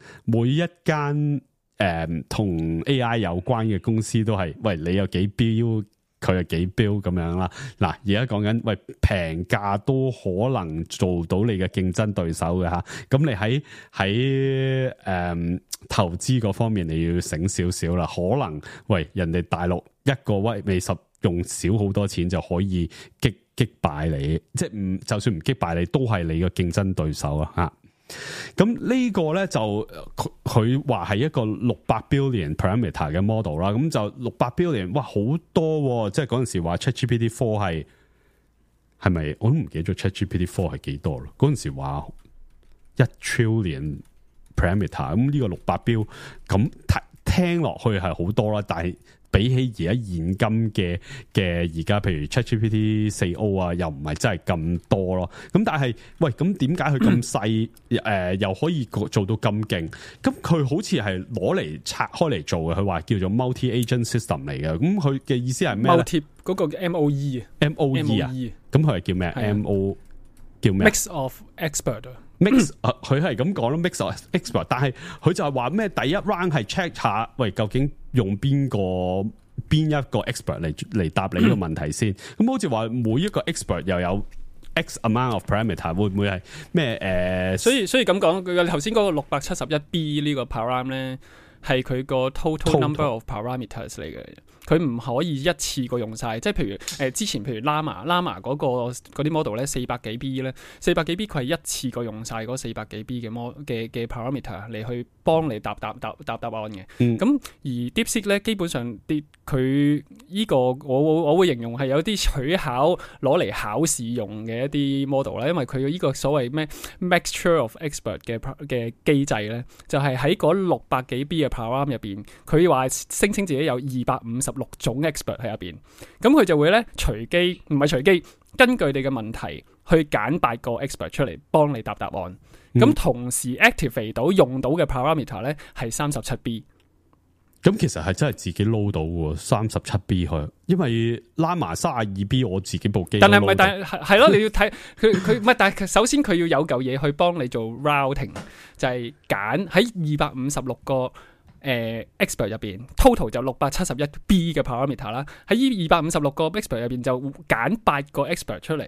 同 AI 有關嘅公司都係，喂，你有幾標？佢係幾標咁樣啦？嗱，而家講緊喂，平價都可能做到你嘅競爭對手嘅吓，咁你喺投資嗰方面你要醒少少啦。可能喂，人哋大陸一個未十用少好多錢就可以擊敗你，即係就算唔擊敗你，都係你嘅競爭對手啊吓。咁呢個咧就佢話係一個600 billion parameter 嘅 model 啦，咁就600 billion， 哇，好多，即係嗰陣時話 ChatGPT 4係咪？我都唔記得咗 ChatGPT 4係幾多咯。嗰陣時話1 trillion parameter， 咁呢個600 billion 咁聽落去係好多啦，但係比起而家現今嘅而家，譬如 ChatGPT 4o 啊，又唔係真係咁多咯。咁但係喂，咁點解佢咁細又可以做到咁勁？咁佢好似係攞嚟拆開嚟做嘅。佢話叫做 multi-agent system 嚟嘅。咁佢嘅意思係咩咧？multi 嗰個 MOE 啊 ，MOE 啊，咁佢係叫咩？MO 叫咩 ？Mix of expert。mix 佢係咁講咯 ，mix of expert， 但係佢就係話咩？第一 round 係 check 下，喂，究竟用邊一個 expert 嚟答你呢個問題先？咁好似話每一個 expert 又有 X amount of parameter 會唔會係咩所以咁講，佢頭先嗰個671B 呢個 param 咧，係佢個 total number of parameters 嚟嘅。佢唔可以一次過用晒，即係譬如之前譬如 Llama 嗰啲 model 咧400幾 B 咧，400幾 B 佢係一次過用晒嗰400幾 B 嘅 parameter 嚟去幫你答案嘅。咁而 DeepSeek 咧，基本上佢呢個我會形容係有啲取巧攞嚟考試用嘅一啲 model 啦，因為佢呢個所謂咩 mixture of expert 嘅機制咧，就係喺嗰600幾 B 嘅 param 入邊，佢話聲稱自己有256種 expert 喺入邊，咁佢就會咧唔係隨機，根據你嘅問題去揀8個 expert 出嚟幫你答案。咁同時 activate 到用到嘅 parameter 咧係37B。咁其實係真係自己撈到喎，37B 去，因為 Llama 32B 我自己部機，但係係咯，你要睇佢唔係，但係首先佢要有嚿嘢去幫你做 routing， 就係揀喺256個expert 入邊 total 就671B 嘅 parameter 啦，喺呢256個 expert 入邊就揀8個 expert 出嚟，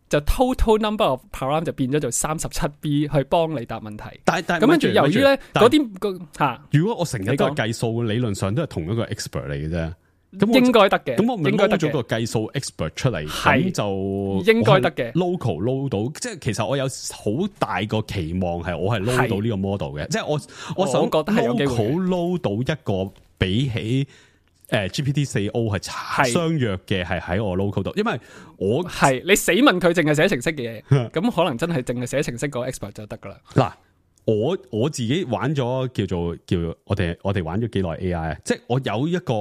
就 total number of param 就變咗做37B 去幫你答問題。但咁跟住由於咧嗰啲如果我成日都係計數，理論上都係同一個 expert 嚟嘅啫。咁應該得嘅，咁我咪撈咗個計數 expert 出嚟，咁就應該得嘅。local 撈到，即係其實我有好大個期望係我係撈到呢個 model 嘅，即係我想覺得係有機會 撈到一個比起GPT-4o 係相若嘅，係喺我 local 度，因為我係你死問佢淨係寫程式嘅嘢，咁可能真係淨係寫程式個 expert 就得噶啦。嗱，我自己玩咗叫我哋玩咗幾耐 AI 啊，即係我有一個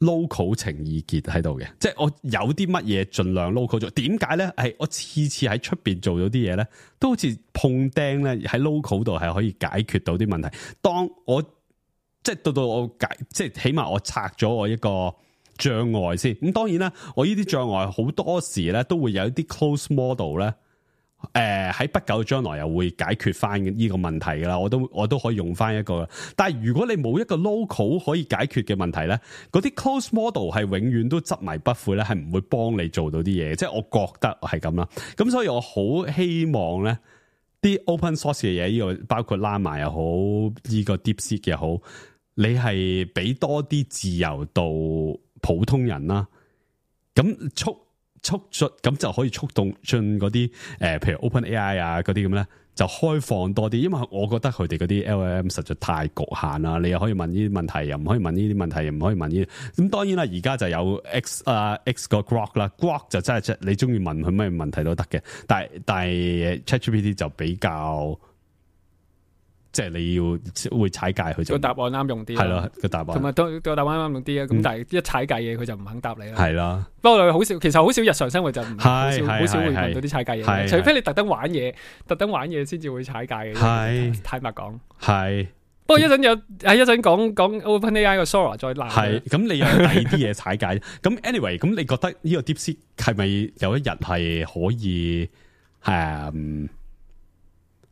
local 情意結喺度嘅，即係我有啲乜嘢盡量 local 做。點解咧？係我次次喺出邊做咗啲嘢咧，都好似碰釘咧，喺 local 度係可以解決到啲問題。當我即係到我即係起碼我拆咗我一個障礙先。咁當然啦，我呢啲障礙好多時咧都會有一啲 close model 咧。喺不久將來又會解決翻呢個問題噶啦，我都可以用翻一個。但係如果你冇一個 local 可以解決嘅問題咧，嗰啲 close model 係永遠都執迷不悔咧，係唔會幫你做到啲嘢。即係我覺得係咁啦。咁所以我好希望咧，啲 open source 嘅嘢，呢個包括 Llama 又好，呢個 DeepSeek 又好，你係俾多啲自由度普通人啦。咁促進咁就可以促動進嗰啲譬如 OpenAI 啊嗰啲咁咧，就開放多啲，因為我覺得佢哋嗰啲 LLM 實在太局限啦。你又可以問呢啲問題，又唔可以問呢啲問題，又唔可以問呢啲。咁當然啦，而家就有 X 個 Grok 啦 ，Grok 就真係你中意問佢咩問題都得嘅。但係 ChatGPT 就比較。即係你要會踩界佢就個答案啱用啲，係咯個答案，同埋個答案啱用啲啊。咁但係一踩界嘢佢就唔肯答你啦。係啦，不過其實好少日常生活就好少會問到啲踩界嘢，除非你特登玩嘢先至會踩界嘅。坦白講，係。不過一陣講 OpenAI 個 Sora 再鬧。係咁，你有第二啲嘢踩界。咁 anyway， 咁你覺得呢個 DeepSeek 係咪有一日係可以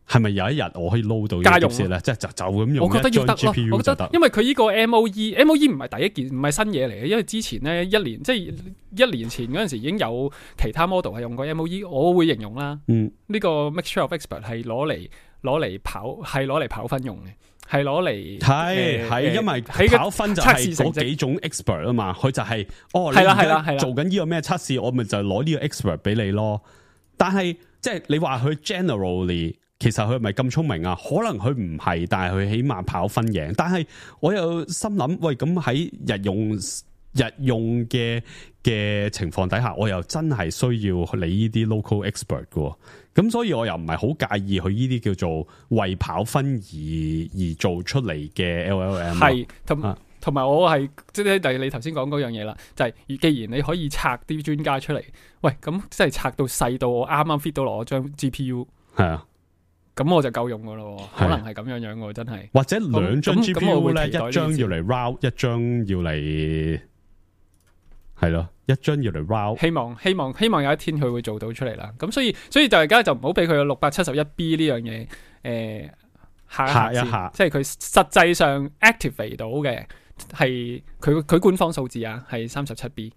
係咪有一日我可以撈到家用咧？即係就咁用，我覺得要得咯。我覺得因為佢呢個 MOE 唔係第一件，唔係新嘢嚟嘅。因為之前咧一年前嗰陣時已經有其他 model 係用過 MOE， 我會形容啦。呢個 mixture of expert 係攞嚟跑分用嘅，係攞嚟係因為跑分就係嗰幾種 expert 啊嘛。佢就係係啦，做緊呢個咩測試，我咪就攞呢個 expert 俾你咯。但係即係你話佢 generally。其實佢係咪咁聰明啊？可能佢唔係，但係佢起碼跑分贏。但係我又心諗，喂，咁喺日用嘅情況底下，我又真係需要你呢啲 local expert 嘅。咁所以我又唔係好介意佢呢啲叫做為跑分而做出嚟嘅 LLM。係同埋我係即係你頭先講嗰樣嘢啦，就係既然你可以拆啲專家出嚟，喂，咁即係拆到細到我啱啱 fit 到落我張 GPU。係啊。咁我就夠用噶咯，可能係咁樣喎，真係。或者兩張 GPU 咧，一張要嚟 route， 一張要嚟係咯，一張要嚟 route。希望有一天佢會做到出嚟啦。咁所以就而家就唔好俾佢有671B 呢樣嘢嚇一下，即係佢實際上 activate 到嘅係佢官方數字啊，係37B。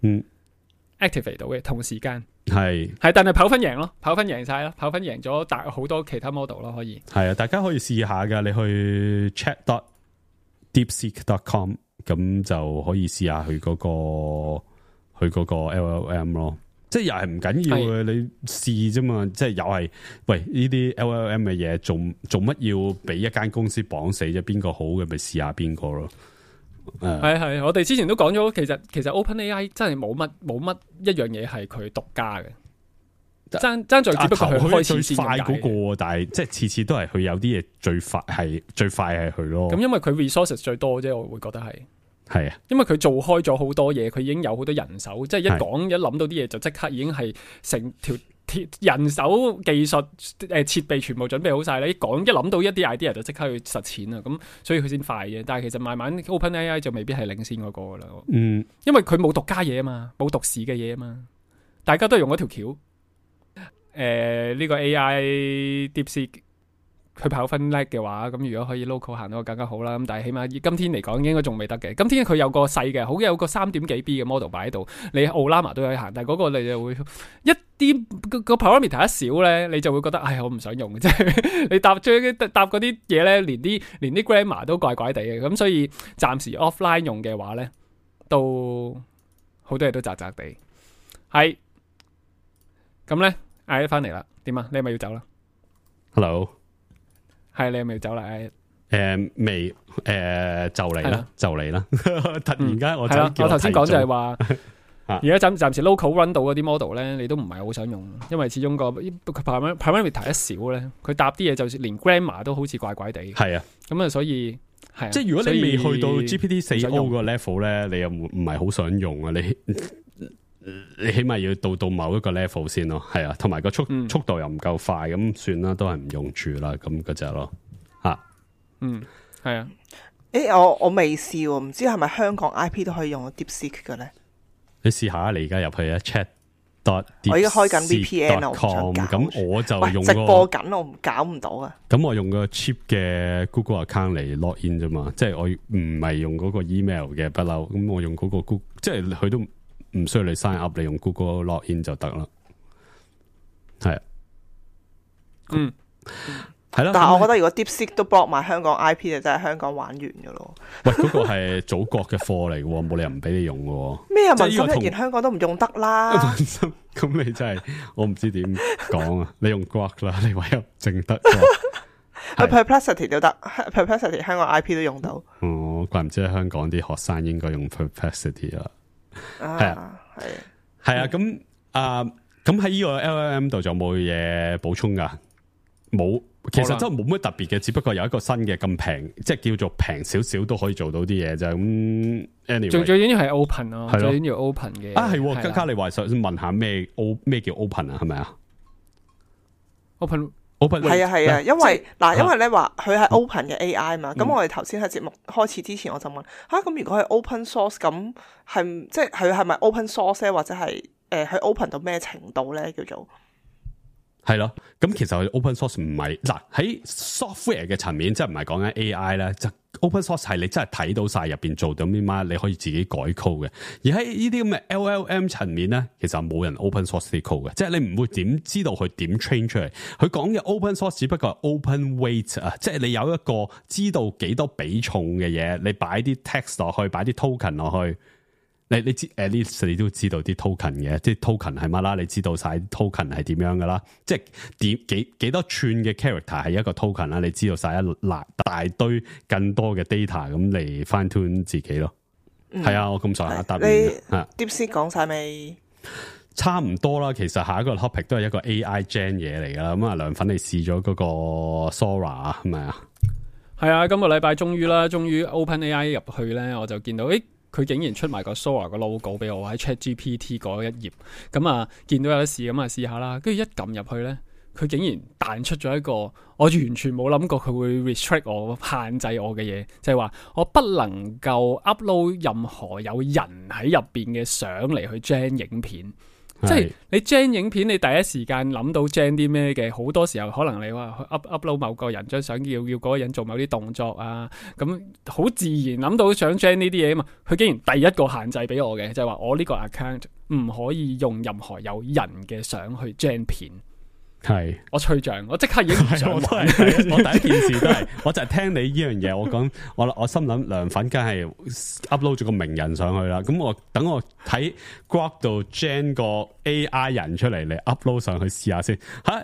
activate 到嘅同時間。係，但係跑分贏咯，跑分贏晒咯，跑分贏咗好多其他 model 咯，可以。係啊，大家可以試下噶，你去 chat.deepseek.com 咁就可以試下佢嗰個 LLM 咯。即係又係唔緊要嘅，你試啫嘛。即係又係，喂呢啲 LLM 嘅嘢，做乜要俾一間公司綁死啫？邊個好嘅咪試下邊個咯。係，我哋之前都講咗，其實 OpenAI 真係冇乜一樣嘢係佢獨家嘅，爭在只不過佢開始先快嗰個，但係即係次次都係佢有啲嘢最快係佢咯。咁因為佢 resources 最多啫，我會覺得係啊，因為佢做開咗好多嘢，佢已經有好多人手，即係一諗到啲嘢就即刻已經係成條人手技術設備全部準備好晒啦，一諗到一啲 idea 就即刻去實踐啦，咁所以佢先快嘅。但係其實慢慢 OpenAI 就未必係領先嗰個噶啦，因為佢冇獨家嘢啊嘛，冇獨市嘅嘢啊嘛，大家都係用嗰條橋。呢個 AI DeepSeek 佢跑分叻嘅話，咁如果可以 local 行到更加好啦。咁但係起碼今天嚟講應該仲未得嘅。今天佢有個細嘅，好有個3點幾 B 嘅 model 擺喺度，你奧拉瑪都可以行，但係嗰個你就會一啲個 parameter 一少咧，你就會覺得我唔想用嘅，即係你答嗰啲嘢咧，連啲 grammar 都怪怪地嘅。咁所以暫時 offline 用嘅話咧，都好多嘢都雜雜地。係咁咧，嗌翻嚟啦，點啊？你係咪要走啦 ？Hello。係你係咪要走啦？未就嚟啦，就嚟啦！突然間我頭先講就係話，而家暫時 local run 到嗰啲 model 咧，你都唔係好想用，因為始終個 parameter 一少咧，佢答啲嘢就連 grammar 都好似怪怪地。係啊，咁啊，所以係即係如果你未去到 GPT-4o 個 level 咧，你又唔係好想用啊？你起碼要到某一個 level 先咯，係啊，同埋個速度又唔夠快，咁算啦，都係唔用住啦，咁嗰隻咯，係啊，我未試喎，唔知係咪香港 IP 都可以用到 DeepSeek 嘅咧？你試下，你而家入去啊 chat。我而家開緊 VPN 咁我就用直播緊，我搞唔到啊！咁我用個 cheap 嘅 Google account 嚟 log in 啫嘛，即係我唔係用嗰個 email 嘅不嬲，咁我用嗰個 Google， 即係佢都唔需要你 sign up，你用 Google log in 就得啦。係啊，係啦。但係我覺得如果 DeepSeek 都 block 埋香港 IP， 就真係香港玩完噶咯。喂，嗰個係祖國嘅貨嚟嘅，冇理由唔俾你用嘅。咩啊？民心一言，香港都唔用得啦。咁你真係我唔知點講啊！你用 Grok 啦，你唯有淨得。Perplexity 都得 ，Perplexity 香港 IP 都用到。哦，怪唔知香港啲學生應該用 Perplexity 啦。係啊，係啊，咁喺呢個 LLM 度就冇嘢補充噶，冇。其實真係冇乜特別嘅，只不過有一個新嘅咁平，即係叫做平少少都可以做到啲嘢就咁。anyway， 最緊要係 open 咯，最緊要 open 嘅。係嘉嘉，你話想問下咩叫 open 啊？係咪啊 ？open 係啊，因為咧話佢係 open 嘅 AI 嘛。咁我哋頭先喺節目開始之前，我就問咁如果係 open source，咁係即係佢係咪 open source 咧，或者係佢 open 到咩程度咧？叫做係咯，咁其實佢 open source 唔係嗱喺 software 嘅層面，即係唔係講緊 AI 咧，就 open source 係你真係睇到晒入邊做到啲乜，你可以自己改 code 嘅。而喺呢啲咁嘅 LLM 層面咧，其實冇人 open source 啲 code 嘅，即係你唔會點知道佢點 train 出嚟。佢講嘅 open source 只不過係 open weight 啊，即係你有一個知道幾多比重嘅嘢，你擺啲 text 落去，擺啲 token 落去。你知 at least 你都知道啲 token 嘅，即係 token 係乜啦？你知道晒 token 係點樣噶啦？即係幾多串嘅 character 係一個 token 啦？你知道晒一大堆更多嘅 data 咁嚟 fine tune 自己咯。係啊，我咁上下答你。DeepSeek 講晒未？差唔多啦。其實下一個 topic 都係一個 AI gen 嘢嚟噶啦。咁啊，梁粉你試咗嗰個 Sora 係咪啊？係啊，今個禮拜終於 OpenAI 入去咧，我就見到佢竟然出埋個 Sora 個 logo 俾我喺 ChatGPT 嗰一頁，咁啊見到有得試，咁啊試下啦，跟住一撳入去咧，佢竟然彈出咗一個我完全冇諗過佢會 restrict 我、限制我嘅嘢，就係話我不能夠 upload 任何有人喺入邊嘅相嚟去 gen 影片。即係你 gen 影片，你第一時間諗到 gen 啲咩嘅，好多時候可能你話 upload 某個人張相，要嗰個人做某啲動作啊，咁好自然諗到想 gen 呢啲嘢啊嘛。佢竟然第一個限制俾我嘅，就係話我呢個 account 唔可以用任何有人嘅相去 gen 片。係我吹脹，我即刻已經唔想玩。我第一件事都係，我就係聽你呢樣嘢，我講我心諗涼粉梗係 upload 咗個名人上去啦。咁我等我睇 Grok 度 gen 個 AI 人出嚟 upload 上去試下先。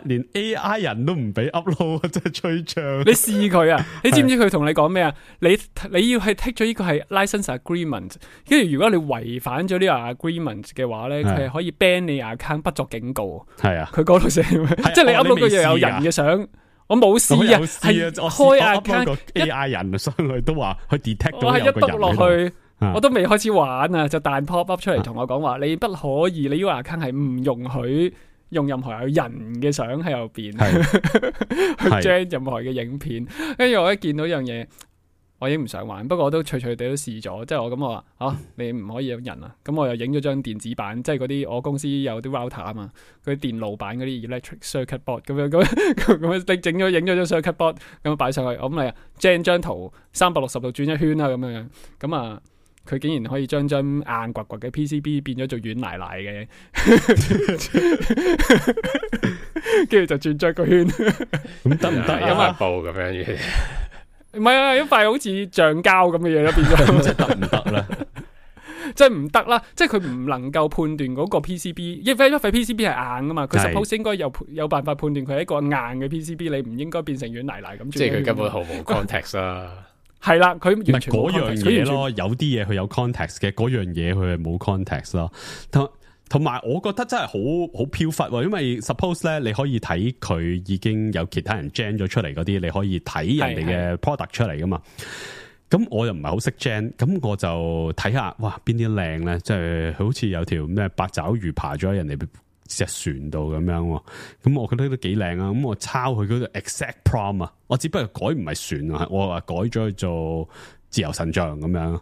連 AI 人都唔俾 upload， 真係吹脹。你試佢啊？你知唔知佢同你講咩啊？你要係剔咗呢個係 license agreement， 跟住如果你違反咗呢個 agreement 嘅話咧，佢係可以 ban 你 account 不作警告。係啊，佢嗰度寫。即係你 upload 個嘢有人嘅相，我冇試啊，係開 account 個 AI 人上去都話佢 detect 到有個人喺度。我係一篤落去，我都未開始玩啊，就彈 pop up 出嚟同我講話，你不可以，你呢個 account 係唔容許用任何有人嘅相喺入邊去 gen 任何嘅影片。跟住我一見到呢樣嘢，我已經唔想玩，不過我都隨地都試咗，即係我咁我話你唔可以有人啊，咁我又影咗張電子版，即係嗰啲我公司有啲 router 啊嘛，嗰啲電路板嗰啲 electric circuit board 咁你整咗影咗張 circuit board 咁擺上去，我咁嚟將張圖360度轉一圈啦咁樣，咁啊佢竟然可以將硬掘掘嘅 PCB 變咗做軟奶奶嘅，跟住就轉咗個圈，咁得唔得有塊布咁樣嘅？唔係啊，一塊好似橡膠咁嘅嘢咯，變咗。即係得唔得咧？即係唔得啦，即係佢唔能夠判斷嗰個 PCB，因為一塊 PCB 係硬噶嘛，佢 suppose 應該有辦法判斷佢係一個硬嘅 PCB， 你唔應該變成軟泥泥咁。即係佢根本毫無 context 啦。係啦，佢完全嗰樣嘢咯，有啲嘢佢有 context 嘅，嗰樣嘢佢係冇 context 咯。同埋，我覺得真係好飄忽，因為 suppose 咧，你可以睇佢已經有其他人 gen 咗出嚟嗰啲，你可以睇人哋嘅 product 出嚟噶嘛。咁我又唔係好識 gen，咁我就睇下，哇，邊啲靚咧？即係好似有條咩八爪魚爬咗喺人哋隻船度咁樣，咁我覺得都幾靚啊。咁我抄佢嗰個 exact prompt 啊，我只不過改唔係船啊，我話改咗去做自由神像咁樣。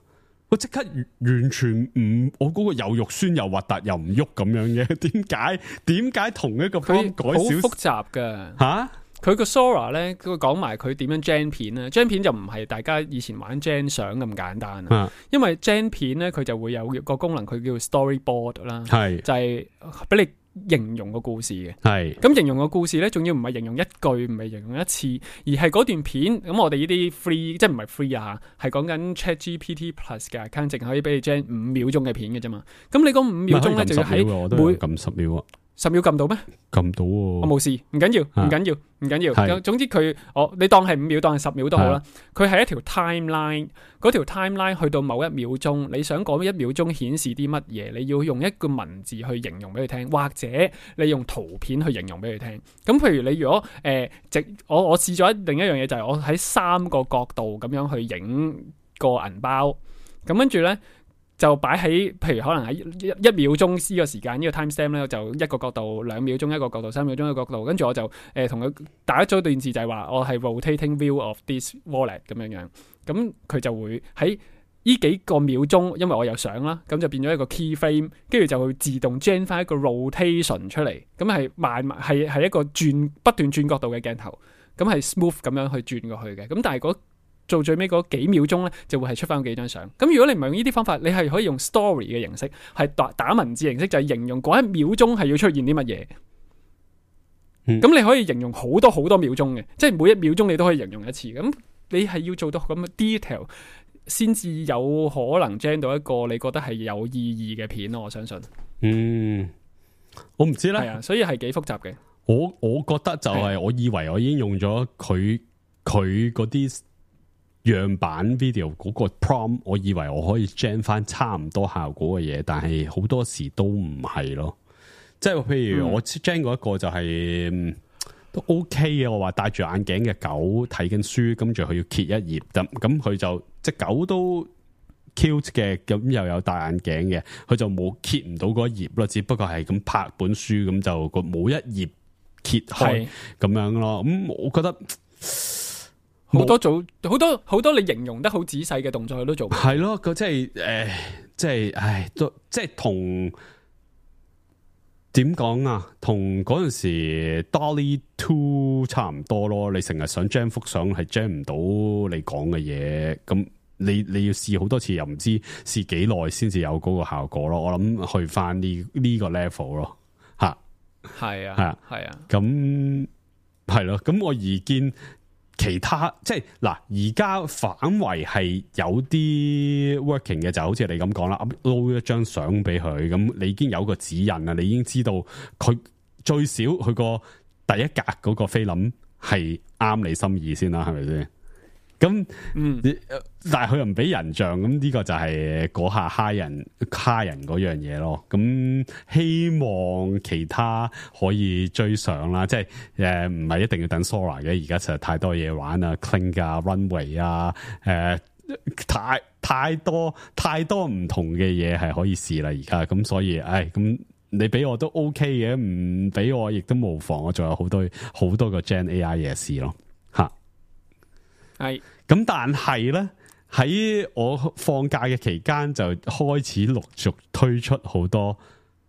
我即刻完全唔，我嗰個又肉酸又核突又唔喐咁樣嘅，點解同一個 prompt 改少？好複雜噶吓。佢個 Sora 咧，佢講埋佢點樣 gen 片咧 ，gen 片就唔係大家以前玩 gen 相咁簡單啊。因為 gen 片咧，佢就會有個功能，佢叫 storyboard 啦，係就係俾你形容個故事嘅。係咁形容個故事咧，仲要唔係形容一句，唔係形容一次，而係嗰段片。咁我哋呢啲 free， 即係唔係 free 啊，係講緊 ChatGPT Plus 嘅 account， 淨可以俾你 gen 5秒鐘嘅片嘅啫嘛。咁你嗰5秒鐘咧，就要喺每撳10秒啊。10秒撳到咩？撳到喎，我冇事，唔緊要，唔緊要。總之佢，你當係5秒，當係10秒都好啦。佢係一條 timeline， 嗰條 timeline 去到某1秒鐘，你想講1秒鐘顯示啲乜嘢？你要用一個文字去形容俾佢聽，或者你用圖片去形容俾佢聽。咁譬如你如果我試咗另一樣嘢，就係我喺3個角度咁樣去影個銀包，咁跟住咧。就擺喺，譬如可能喺1秒鐘呢個時間，呢個 time stamp 咧，就一個角度2秒鐘一個角度，3秒鐘一個角度，跟住我就同佢打咗段字，就係話我係 rotating view of this wallet 咁樣樣，咁佢就會喺呢幾個秒鐘，因為我有相啦，咁就變咗一個 key frame， 跟住就會自動 gen 翻一個 rotation 出嚟，咁係係一個不斷轉角度嘅鏡頭，咁係 smooth 咁樣去轉過去嘅，咁但係做最尾嗰幾秒鐘咧，就會係出翻幾張相。咁如果你唔係用呢啲方法，你係可以用 story 嘅形式，係打文字形式，就係形容嗰1秒鐘係要出現啲乜嘢。咁你可以形容好多好多秒鐘嘅，即係每1秒鐘你都可以形容一次。咁你係要做到咁嘅 detail，先至有可能 gen 到一個你覺得係有意義嘅片咯。我相信。我唔知咧。係啊，所以係幾複雜嘅。我覺得就係我以為我已經用咗佢嗰啲樣板 video 嗰個 prompt， 我以為我可以 gen 翻差唔多效果嘅嘢，但係好多時都唔係咯。即係譬如我 gen 過一個就係都 OK 嘅，我話戴住眼鏡嘅狗睇緊書，跟住佢要揭一頁，咁佢就隻狗都 cute 嘅，咁又有戴眼鏡嘅，佢就冇揭唔到嗰一頁咯，只不過係咁拍本書，咁就個冇一頁揭開咁樣咯。咁我覺得。好多你形容得好仔細嘅動作佢都做，係咯，佢即係即係同點講啊？同嗰陣時 Dolly 2差唔多咯。你成日想 jam 幅相係 jam 唔到你講嘅嘢，咁你要試好多次，又唔知試幾耐先至有嗰個效果咯。我諗去翻呢個 level 咯，吓係啊，係啊，咁係咯。咁我而見其他即係嗱，而家反為係有啲 working 嘅，就好似你咁講啦 ，upload 一張相俾佢，咁你已經有個指引啦，你已經知道佢最少佢個第一格嗰個菲林係啱你心意先啦，係咪先？咁但係佢又唔俾人像，咁呢個就係嗰下蝦人嗰樣嘢咯。咁希望其他可以追上啦，即係唔係一定要等 Sora 嘅，而家實在太多嘢玩啊 ，Kling 啊 ，Runway 啊，太多唔同嘅嘢係可以試啦，而家咁所以，咁你俾我都 OK 嘅，唔俾我亦都無妨，我仲有好多個 Gen AI 嘢試咯，吓。係咁，但係咧喺我放假嘅期間就開始陸續推出好多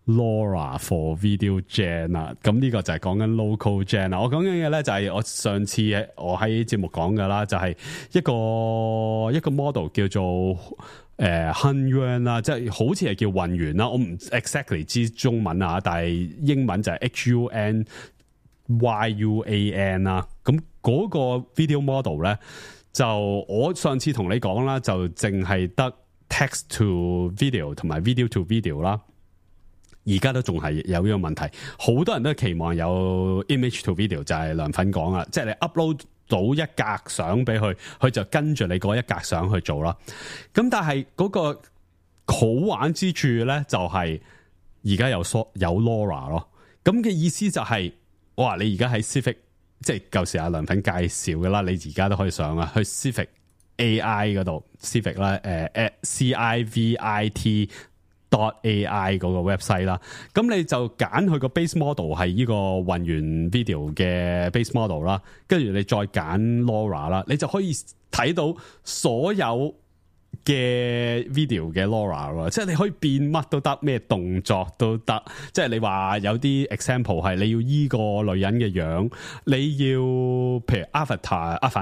LoRA for Video Gen 啦。咁呢個就係講緊 Local Gen 啦。我講緊嘅咧就係我上次我喺節目講噶啦，就係一個 model 叫做Hunyuan 啦，即係好似係叫混元啦。我唔 exactly 知中文啊，但係英文就係 HUNYUAN 啦。咁嗰個 video model 咧，就我上次同你講啦，就淨係得 text to video 同埋 video to video 啦。而家都仲係有呢個問題，好多人都期望有 image to video， 就係梁粉講啦，即係你 upload 到一格相俾佢，佢就跟住你嗰一格相去做啦。咁但係嗰個好玩之處咧，就係而家有 LoRA 咯。咁嘅意思就係，哇！你而家喺 Civic。即係舊時阿梁粉介紹嘅啦，你而家都可以上啊，去 Civic AI 嗰度 Civic 啦，CIVIT.AI 嗰個 website 啦，咁你就揀佢個 base model 係呢個混元 video 嘅 base model 啦，跟住你再揀 LoRA 啦，你就可以睇到所有嘅 video 嘅 LoRA， 即係你可以變乜都得，咩動作都得。即係你話有啲 example 係你要依個女人嘅樣，你要譬如阿凡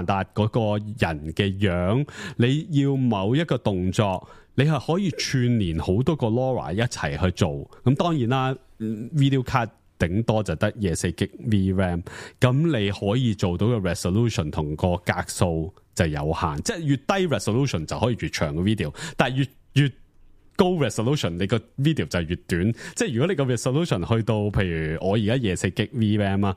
達嗰個人嘅樣，你要某一個動作，你係可以串連好多個 LoRA 一齊去做。咁當然啦 ，video card 頂多就得24GB VRAM， 咁你可以做到嘅 resolution 同個格數就有限，即係越低 resolution 就可以越長嘅 video， 但係越高 resolution 你個 video 就越短。即係如果你個 resolution 去到譬如我而家24GB VRAM 啊，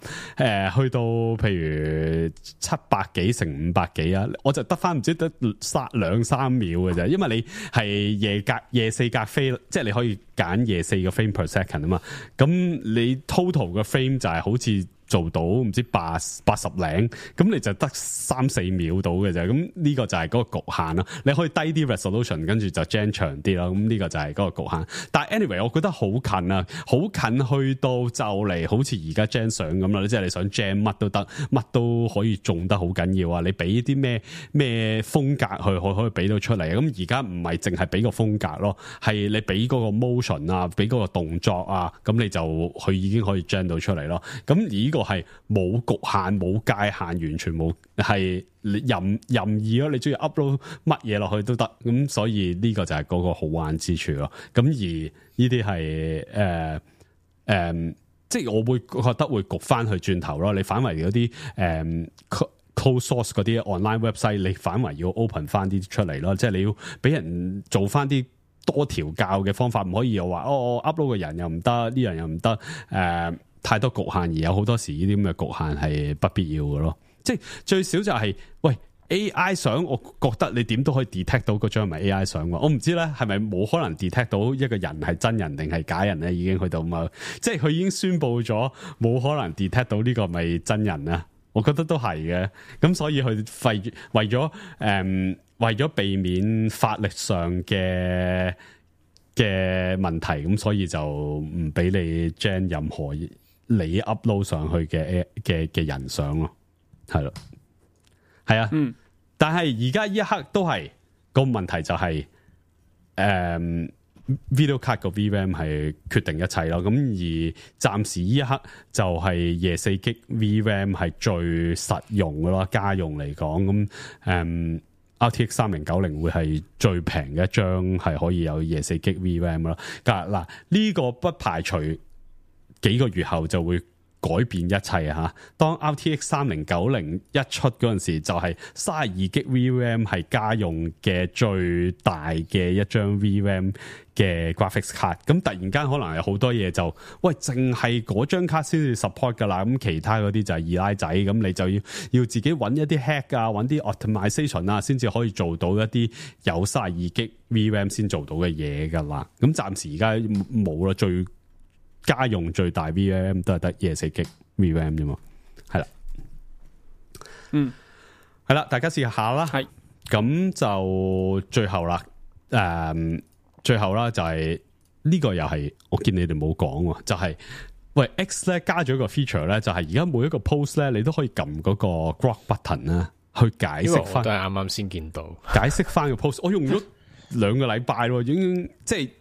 去到譬如700幾乘500幾啊，我就得翻唔知得2-3秒嘅啫，因為你係夜4格飛，即係你可以揀24個 frame per second 啊嘛，咁你 total 嘅 frame 就係好似做到唔知80零，咁你就得3-4秒到嘅啫。咁呢個就係嗰個局限啦。你可以低啲 resolution， 跟住就 gen 長啲啦。咁呢個就係嗰個局限。但係 anyway， 我覺得好近啊，好近去到就嚟好似而家 gen 相咁啦。即係你想 gen 乜都得，乜都可以種得好緊要啊。你俾啲咩風格去可以俾到出嚟。咁而家唔係淨係俾個風格咯，係你俾嗰個 motion 啊，俾嗰個動作啊，咁你就佢已經可以 gen 到出嚟咯。咁而呢個係冇局限冇界限，完全冇，係任意咯，你中意 upload 乜嘢落去都得，咁所以呢個就係嗰個好玩之處咯。咁而呢啲係即係我會覺得會焗翻去轉頭咯。你反為嗰啲close source 嗰啲 online website， 你反為要 open 翻啲出嚟咯，即係你要俾人做翻啲多調教嘅方法，唔可以又話我 upload 嘅人又唔得，呢樣又唔得，太多局限，而有好多時呢啲咁嘅局限係不必要嘅咯。即係最少就係，喂 AI 相，我覺得你點都可以 detect 到嗰張係咪 AI 相喎。我唔知咧係咪冇可能 detect 到一個人係真人定係假人咧，已經去到嘛？即係佢已經宣佈咗冇可能 detect 到呢個咪真人啊。我覺得都係嘅。咁所以佢為咗避免法律上嘅問題，咁所以就唔俾你 gen 任何你 upload 上去嘅人相咯，係咯，係啊，但係而家呢一刻都係個問題就係， video card 個 VRAM 係決定一切咯。咁而暫時呢一刻就係24GB VRAM 係最實用嘅咯，家用嚟講咁RTX 3090會係最平嘅一張係可以有24GB VRAM 咯。嗱呢個不排除幾個月後就會改變一切啊！當 RTX 3090一出嗰陣時，就係 32GB VRAM 係家用嘅最大嘅一張 VRAM 嘅 graphics card。咁突然間可能有好多嘢就，喂，淨係嗰張卡先至 support 噶啦。咁其他嗰啲就係二奶仔，咁你就要自己揾一啲 hack 啊，揾啲 optimization 啊，先至可以做到一啲有 32GB VRAM 先做到嘅嘢噶啦。咁暫時而家冇啦，最家用最大 VRAM 都係得24GB VRAM 啫嘛，係啦，係啦，大家試下啦，係，咁就最後啦，最後啦就係呢個又係我見你哋冇講喎，就係喂 X 咧加咗一個 feature 咧，就係而家每一個 post 咧，你都可以撳嗰個 grok button 啦，去解釋翻，都係啱啱先見到，解釋翻個 post， 我用咗2個禮拜咯，已經即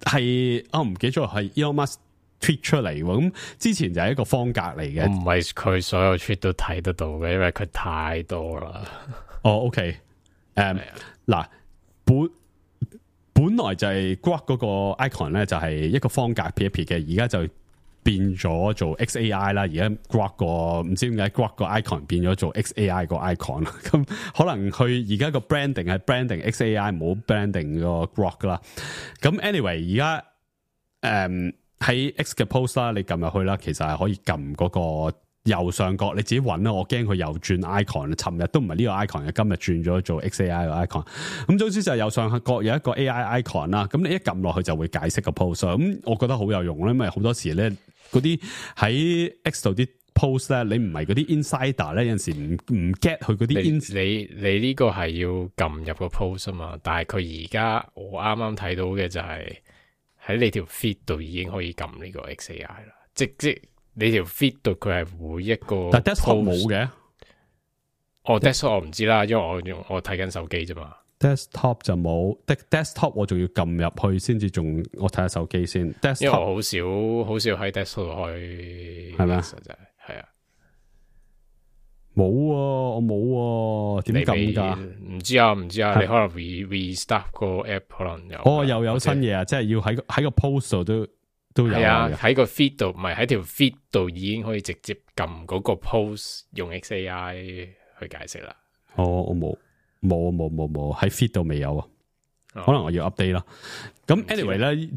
係我唔記得咗係 Elon Musk tweet 出嚟喎，咁之前就係一個方格嚟嘅，唔係佢所有 tweet 都睇得到嘅，因為佢太多啦。哦 ，OK， 嗱，本來就係 Grok 嗰個 icon 咧，就係一個方格撇一撇嘅，而家就變咗做 XAI 啦。而家 Grok 個唔知點解 Grok 個 icon 變咗做 XAI 個 icon 啦。咁可能佢而家個 branding 係 branding XAI，冇 branding 個 Grok 啦。咁 anyway， 而家喺 X 嘅 post 啦，你撳入去啦，其實係可以撳嗰個右上角，你自己揾啦。我驚佢又轉 icon， 尋日都唔係呢個 icon 嘅，今日轉咗做 XAI 個 icon。咁總之就係右上角有一個 AI icon 啦。咁你一撳落去就會解釋個 post。咁我覺得好有用啦，因為好多時咧嗰啲喺 X 度啲 post 咧，你唔係嗰啲 insider 咧，有陣時唔 get 佢嗰啲。你呢個係要撳入個 post 啊嘛，但係佢而家我啱啱睇到嘅就係喺你條 feed 度已經可以撳呢個 XAI 啦，即你條 feed 度佢係每一個 post， 但 desktop 冇嘅。desktop 我唔知啦，因為我睇緊手機啫嘛。desktop 就冇 desktop 我仲要撳入去先至，仲我睇下手機先。desktop 因為我好少喺 desktop 度開，係咪啊？係啊，冇我冇點撳噶？唔知啊，你可能 restart 個 app 可能有。又有新嘢啊！即係要喺個 post 度都有啊，喺個 feed 度，唔係喺條 feed 度已經可以直接撳嗰個 post 用 XAI 去解釋啦。我冇喺 feed 度未有啊，可能我要 update 啦。咁 anyway 咧，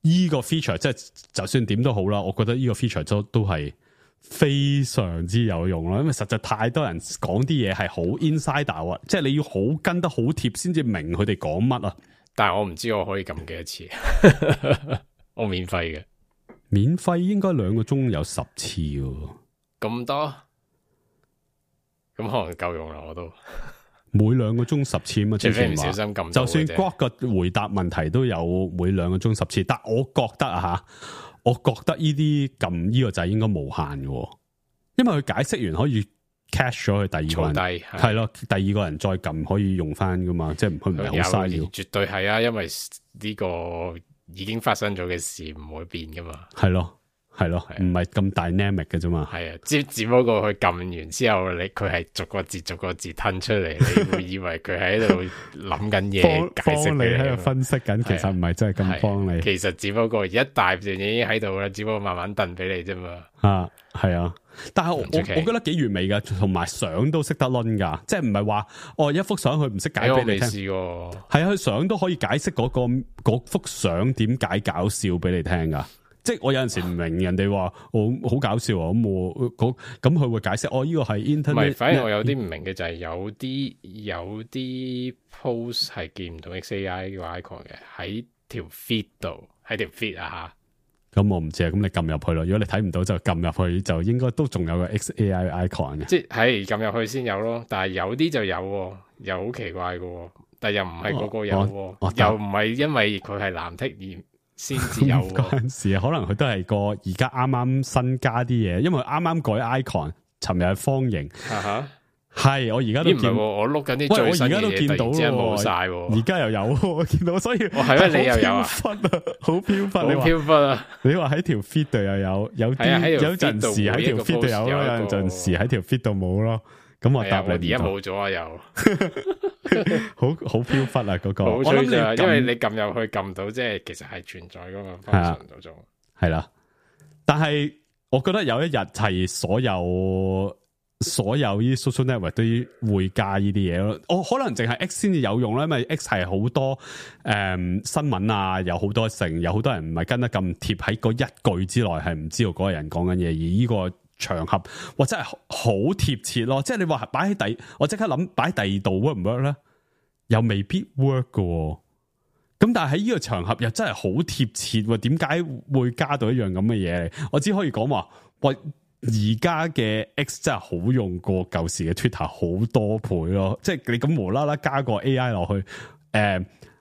呢個 feature 即係就算點都好啦，我覺得呢個 feature 都係非常之有用啦，因為實在太多人講啲嘢係好 insider 啊，即係你要好跟得好貼先至明佢哋講乜啊。但係我唔知我可以撳幾多次。我免費嘅，免費應該2個鐘有10次喎，咁多，咁可能夠用啦。我都每2個鐘10次嘛，除非唔小心撳，就算 Grok 個回答問題都有每2個鐘10次，但我覺得我覺得呢啲撳呢個掣應該無限嘅，因為佢解釋完可以 cache 咗佢第二個人，係咯，第二個人再撳可以用翻噶嘛，即係佢唔係好嘥料，絕對係啊，因為呢個已經發生咗嘅事唔會變噶嘛，係咯，唔係咁 dynamic 嘅啫嘛，係啊，只不過佢撳完之後，佢係逐個字吞出嚟，你會以為佢喺度諗緊嘢，解釋俾你喺度分析緊，其實唔係真係咁幫你，其實只不過一大段已經喺度啦，只不過慢慢燉俾你啫嘛，係啊，但係我覺得幾完美噶，同埋相都識得掄噶，即係唔係話一幅相佢唔識解俾你聽，係啊，佢相都可以解釋嗰幅相點解搞笑俾你聽噶。即係我有陣時唔明人哋話我好搞笑啊，咁佢會解釋呢個係 internet。唔係，反而我有啲唔明嘅就係有啲 post 係見唔到 XAI 個 icon 嘅喺條 feed 度，喺條 feed 啊吓。咁我唔知啊，咁你撳入去咯。如果你睇唔到就撳入去，就應該都仲有個 XAI icon 嘅。即係撳入去先有咯，但係有啲就有，又好奇怪嘅，但係又唔係個個有，又唔係因為佢係藍剔而先至有嗰陣時，可能佢都係個而家啱啱新加啲嘢，因為啱啱改 icon，尋日係方形，係，我而家都見，我碌緊啲最新嘅嘢，突然之間冇晒，而家又有，我見到，所以係咩？你又有啊？好飄忽，好飄忽啊！你話喺條 feed 度又有啲，有陣時喺條 feed 度有咯，有陣時喺條 feed 度冇咯。咁我答你，而家冇咗啊！又好飄忽啊！嗰個，我諗你因為你撳入去撳到，即係其實係存在嗰個 function 度做，係啦。但係我覺得有一日係所有啲 social network 都會加呢啲嘢咯。我可能淨係 X 先至有用啦，因為 X 係好多新聞啊，有好多有好多人唔係跟得咁貼，喺嗰一句之內係唔知道嗰個人講緊嘢，而呢個場合或者係好貼切咯。即係你話擺喺我即刻諗擺喺第二度 work 唔 work 咧？又未必 work 㗎。咁但係喺呢個場合又真係好貼切喎，點解會加到一樣咁嘅嘢？我只可以講話，喂，而家嘅 X 真係好用過舊時嘅 Twitter 好多倍咯，即係你咁無啦啦加個 AI 落去，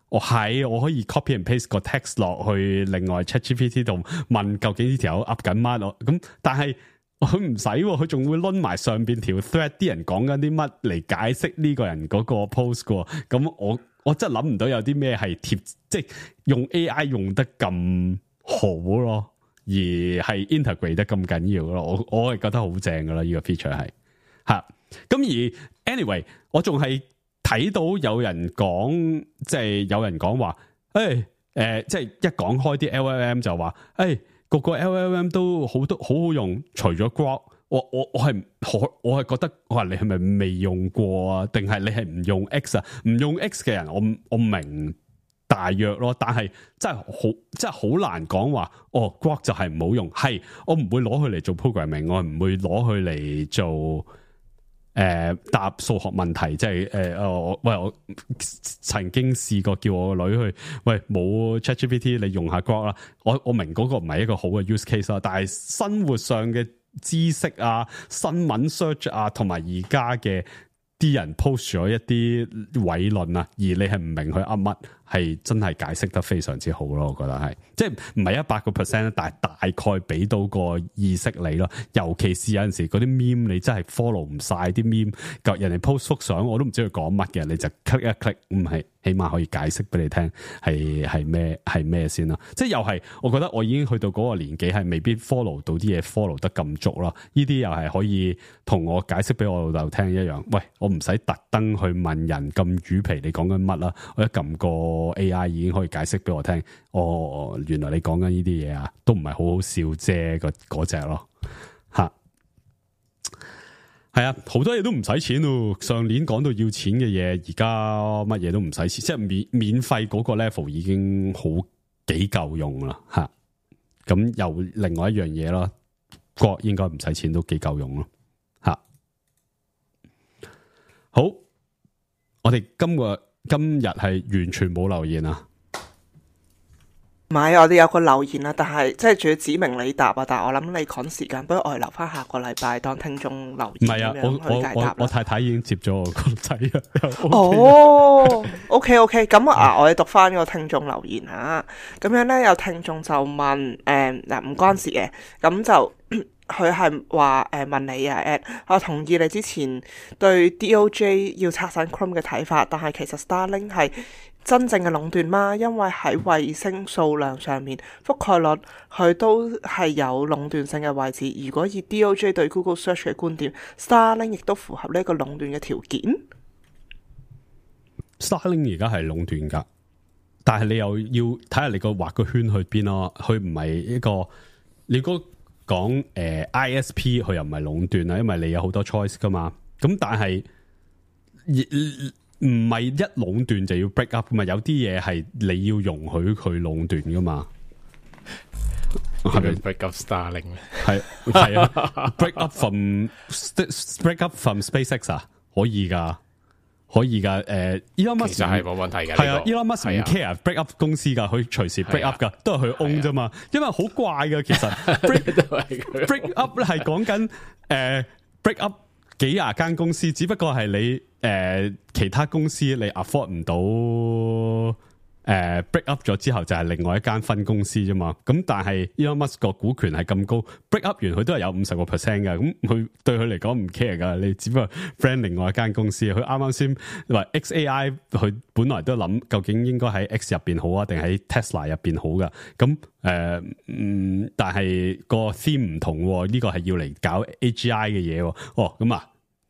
我可以 copy and paste 個 text 落去另外 ChatGPT 度問究竟呢條友 up 緊乜咯？咁但係佢唔使，佢仲會攆埋上邊條 thread 啲人講緊啲乜嚟解釋呢個人嗰個 post 噶，咁我真係諗唔到有啲咩係貼，即係用 AI 用得咁好咯，而係 integrate 得咁緊要咯。我係覺得好正噶啦，呢個 feature 係吓。咁而 anyway， 我仲係睇到有人講，即係有人講話，即係一講開啲 LLM 就話，個個 LLM 都好好用，除咗 Grok。我係覺得，我話你係咪未用過啊？定係你係唔用 X 啊？唔用 X 嘅人，我明大約咯，但係真係好難講話。Grok 就係唔好用，係我唔會攞佢嚟做 programming，我唔會攞佢嚟做答數學問題。即係我曾經試過叫我個女去，冇 ChatGPT 你用下 Grok 啦。我明嗰個唔係一個好嘅 use case 啦，但係生活上嘅知識啊、新聞 search 啊，同埋而家嘅啲人 post 咗一啲偉論啊，而你係唔明佢噏乜，係真係解釋得非常之好咯。我覺得係，即係唔係100%，但係大概俾到個意識你咯。尤其是有陣時嗰啲 meme 你真係 follow 唔晒啲 meme， 人哋 post 幅相我都唔知佢講乜嘅，你就 click 一 click， 係起碼可以解釋俾你聽係咩先啦。即係又係，我覺得我已經去到嗰個年紀，係未必 follow 到啲嘢 follow 得咁足咯。呢啲又係可以同我解釋俾我老豆聽一樣。喂，我唔使特登去問人咁魚皮你講緊乜啦，我一撳個 AI 已經可以解釋俾我聽。原來你講緊呢啲嘢啊，都唔係好好笑啫，嗰隻咯吓。係啊，好多嘢都唔使錢咯。上年講到要錢嘅嘢，而家乜嘢都唔使錢，即係免費嗰個 level 已經好幾夠用啦吓。咁又另外一樣嘢啦，Grok應該唔使錢都幾夠用咯吓。好，我哋今日係完全冇留言啊。唔係，我哋有個留言啊，但係即係仲要指明你答啊。但係我諗你趕時間，不如我哋留翻下個禮拜當聽眾留言。唔係啊，我太太已經接咗我個仔啊。哦，OK，咁我哋讀翻個聽眾留言啊。咁樣咧，有聽眾就問嗱，唔關事嘅，咁就佢係話問你啊 ，Ed， 我同意你之前對 DOJ 要拆散 Chrome 嘅睇法，但係其實 Starlink 係真正嘅壟斷嗎？因為喺衛星數量上面覆蓋率，佢都係有壟斷性嘅位置。如果以 DOJ 對 Google Search 嘅觀點， Starlink 亦都符合呢一個壟斷嘅條件。Starlink 而家係壟斷噶，但係你又要睇下你個畫個圈去邊咯。佢唔係一個，你如果講ISP， 佢又唔係壟斷啦，因為你有好多 choice 噶嘛。咁但係唔係一壟斷就要 break up 噶嘛，有啲嘢係你要容許佢壟斷噶嘛。係咪 break up Starlink？ 係啊，break up from SpaceX 啊，可以噶。Elon Musk 其實係冇問題嘅。係啊，Elon Musk 唔 care break up 公司噶，佢隨時 break up 噶，都係佢 own 啫嘛。因為好怪噶，其實 break up 咧係講緊break up 幾廿間公司，只不過係你其他公司你 afford 唔到 break up 咗之後就係另外一間分公司啫嘛，咁但係 Elon Musk 個股權係咁高 ，break up 完佢都係有50% 嘅，咁佢對佢嚟講唔 care 噶，你只不過 friend 另外一間公司，佢啱啱先話 XAI 佢本來都諗究竟應該喺 X 入邊好啊，定喺 Tesla 入邊好噶，咁但係個 theme 唔同，呢個係要嚟搞 AGI 嘅嘢，咁啊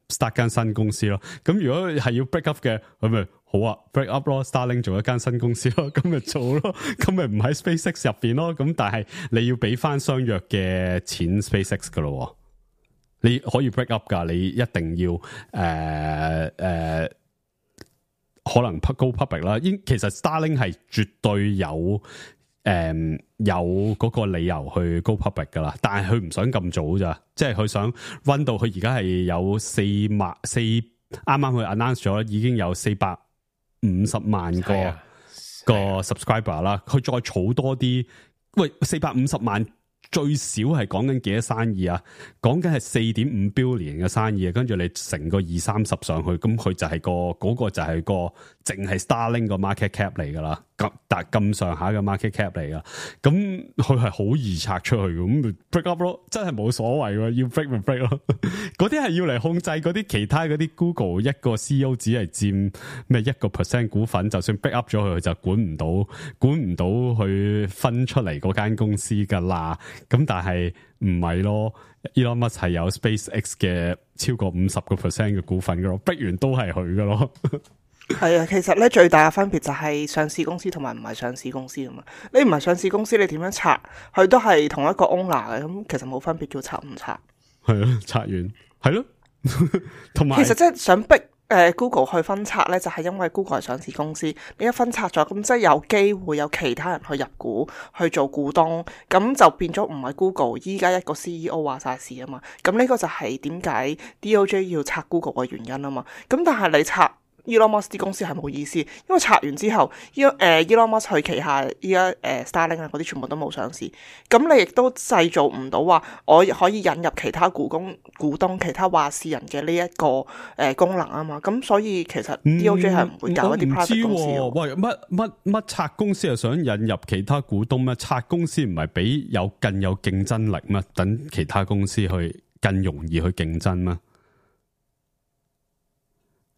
start 間新公司咯，咁如果係要 break up 嘅，咁咪好啊 break up 咯 ，Starlink 做一間新公司咯，咁咪做咯，咁咪唔喺 SpaceX 入邊咯，咁但係你要俾翻相約嘅錢 SpaceX 噶咯，你可以 break up 噶，你一定要可能 go public 啦，其實 Starlink 係絕對有嗰個理由去 go public 噶啦，但係佢唔想咁早咋，即係佢想 run 到佢而家係有4萬啱啱佢 announce 咗已經有450萬個 subscriber 啦，佢再儲多啲，喂450萬最少係講緊幾多生意啊？講緊係4.5 billion 嘅生意啊，跟住你成個20-30上去，咁佢就係嗰個就係個淨係 Starlink 個 market cap 嚟噶啦，咁上下嘅 market cap 嚟噶，咁佢係好易拆出去嘅，咁 break up 咯，真係冇所謂喎，要 break 咪 break 咯，嗰啲係要嚟控制嗰啲其他嗰啲 Google 一個 CEO 只係佔咩1% 股份，就算 break up 咗佢就管唔到佢分出嚟嗰間公司噶啦。咁但係唔係咯 ，Elon Musk 係有 SpaceX 嘅超過50% 嘅股份噶咯，逼完都係佢噶咯。係啊，其實咧最大嘅分別就係上市公司同埋唔係上市公司啊嘛。你唔係上市公司，你點樣拆？佢都係同一個 owner 嘅，咁其實冇分別，叫拆唔拆。係咯，拆完係咯，同埋其實即係想逼Google 去分拆咧，就係因為 Google 係上市公司，你一分拆咗，咁即係有機會有其他人去入股去做股東，咁就變咗唔係 Google 依家一個 CEO 話晒事啊嘛。咁呢個就係點解 DOJ 要拆 Google 嘅原因啊嘛。咁但係你拆Elon Musk 啲公司係冇意思，因為拆完之後，Elon Musk 佢旗下依家Starlink 啊嗰啲全部都冇上市，咁你亦都製造唔到話我可以引入其他股東、其他話事人嘅呢一個功能啊嘛，咁所以其實 DOJ 係唔會搞一啲 private 公司嘅。喂，乜拆公司係想引入其他股東咩？拆公司唔係俾更有競爭力咩？等其他公司去更容易去競爭咩？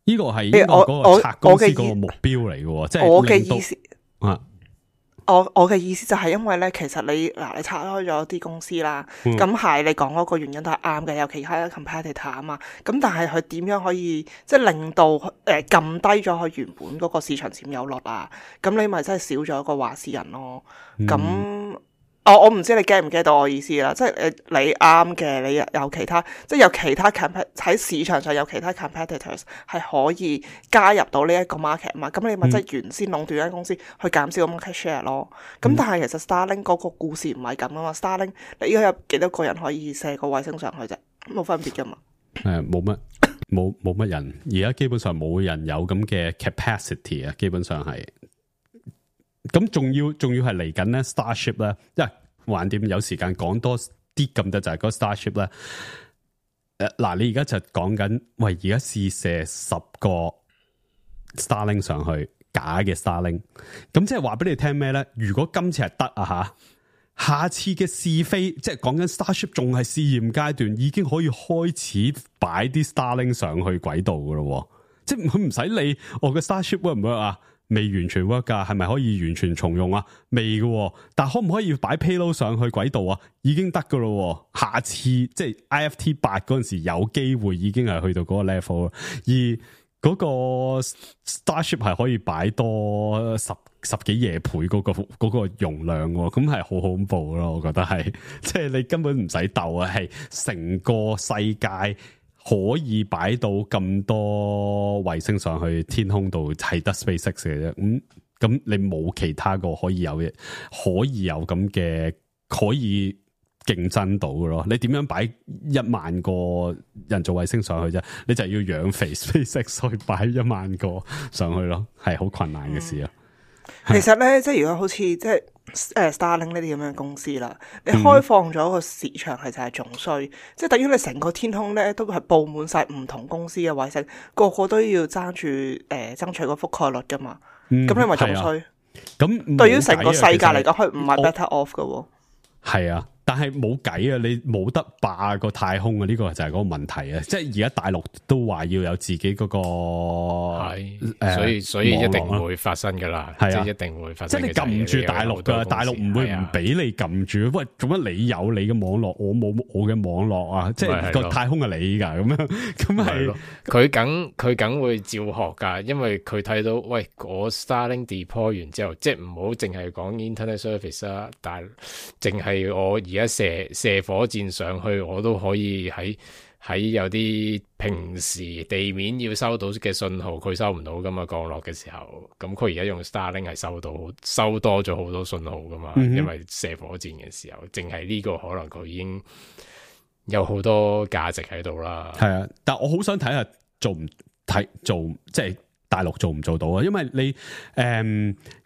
呢個係嗰個拆公司嗰個目標嚟嘅，即係我嘅意思啊。我嘅意思就係因為咧，其實你拆開咗啲公司啦，咁係你講嗰個原因都係啱嘅，有其他 competitor 啊嘛。咁但係佢點樣可以即係令到撳低咗佢原本嗰個市場佔有率啊？咁你咪真係少咗一個話事人咯。咁我唔知你 get 唔 get 到我意思啦，即係你啱嘅，你有其他，即係有其他喺市場上有其他 competitors 係可以加入到呢一個 market 嘛，咁你咪即係原先壟斷間公司去減少個 market share 咯。咁但係其實 Starlink 嗰個故事唔係咁啊嘛，Starlink 你依家有幾多個人可以射個衛星上去啫？冇分別噶嘛。冇乜人，而家基本上冇人有咁嘅 capacity 啊，基本上係。咁仲要係嚟緊咧 Starship 咧，因為橫掂有時間講多啲咁多就係嗰 Starship 咧。嗱，你而家就講緊，喂，而家試射10個 Starlink 上去，假嘅 Starlink， 咁即係話俾你聽咩咧？如果今次係得啊下次嘅試飛，即係講緊 Starship 仲係試驗階段，已經可以開始擺啲 Starlink 上去軌道噶咯，即係佢唔使理我嘅 Starship work 唔 work 啊？未完全 work 噶，係咪可以完全重用啊？未嘅，但可唔可以擺 payload 上去軌道啊？已經得噶咯，下次即係 IFT 8嗰陣時有機會已經係去到嗰個 level， 而嗰個 Starship 係可以擺多十幾夜倍嗰個容量，咁係好恐怖咯，我覺得係，即係你根本唔使鬥啊，係成個世界。可以擺到咁多衛星上去天空度，係得 SpaceX 嘅啫。咁你冇其他個可以有咁嘅可以競爭到嘅咯。你點樣擺1萬個人造衛星上去啫？你就要養肥 SpaceX 去擺1萬個上去咯，係好困難嘅事啊。其實咧，即係如果好似即係Starlink 呢啲咁樣公司啦，你開放咗個市場其實係仲衰，即係等於你成個天空咧都係佈滿晒唔同公司嘅衛星，個個都要爭住爭取個覆蓋率噶嘛，咁你咪仲衰。咁對於成個世界嚟講，佢唔係 better off 㗎。係啊。但係冇計啊！你冇得霸個太空啊！呢個就係嗰個問題啊！即係而家大陸都話要有自己嗰個係，所以一定會發生噶啦，即係一定會發生。即係你撳唔住大陸噶，大陸唔會唔俾你撳住。喂，做乜你有你嘅網絡，我冇我嘅網絡啊？即係個太空係你噶咁樣，咁係佢梗會照學噶，因為佢睇到喂，我 Starlink deploy 完之後，即係唔好淨係講 internet service 啦，但係淨係我。而家射火箭上去，我都可以喺有啲平時地面要收到嘅信號，佢收唔到噶嘛，降落嘅時候，咁佢而家用 Starlink 係收多咗好多信號噶嘛，因為射火箭嘅時候，淨係呢個可能佢已經有好多價值喺度啦。係啊，但我好想睇下做即係大陸做唔做到啊？因為你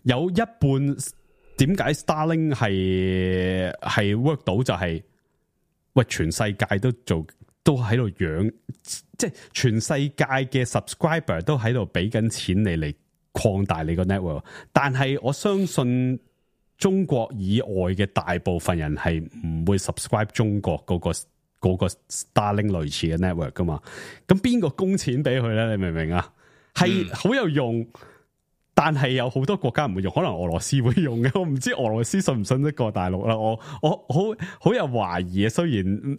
有一半。點解 Starlink 係 work 到就係、喂全世界都喺度養，即係全世界嘅 subscriber 都喺度俾緊錢你嚟擴大你個 network， 但係我相信中國以外嘅大部分人係唔會 subscribe 中國嗰個 Starlink 類似嘅 network 噶嘛，咁邊個供錢俾佢咧？你明唔明啊？係好有用。但係有好多國家唔會用，可能俄羅斯會用嘅，我唔知俄羅斯信唔信得過大陸啦。我好有懷疑啊。雖然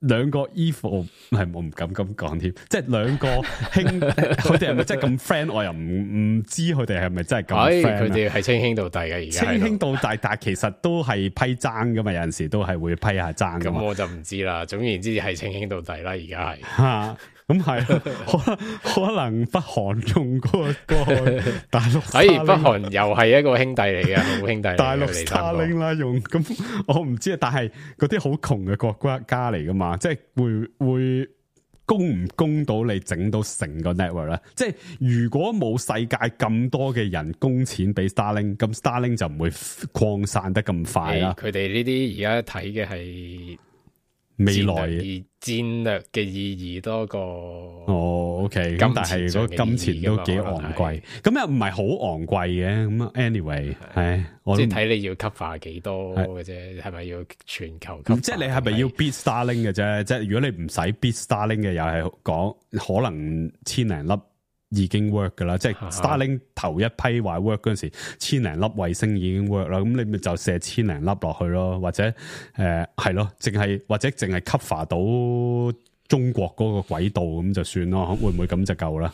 兩個 evil 係我唔敢咁講添，即係兩個兄，佢哋係咪真係咁 friend？ 我又唔知佢哋係咪真係咁 friend。佢哋係稱兄道弟嘅，而家稱兄道弟，但係其實都係批爭噶嘛，有陣時都係會批下爭噶嘛。咁我就唔知啦。總言之係稱兄道弟啦，而家係吓。咁係，可能北韓用嗰個大陸，北韓又係一個兄弟嚟嘅，好兄弟。大陸 Starlink 啦用，咁我唔知啊。但係嗰啲好窮嘅國家嚟噶嘛，即係會供唔供到你整到成個 network 咧？即係如果冇世界咁多嘅人供錢俾 Starlink， 咁 Starlink 就唔會擴散得咁快啦。佢哋呢啲而家睇嘅係未來戰略嘅意義多過OK，咁但係嗰金錢都幾昂貴，咁又唔係好昂貴嘅。咁 anyway， 係即係睇你要 cover 幾多嘅啫，係咪要全球 cover？即係你係咪要 beat Starlink 嘅啫？即係如果你唔使 beat Starlink 嘅，又係講可能千零粒已經 work 噶啦。即係 Starlink 頭一批話 work 嗰陣時，千零粒衛星已經 work 啦。咁你咪就射千零粒落去咯，或者係咯，或者淨係 cover 到中國嗰個軌道咁就算咯。會唔會咁就夠啦？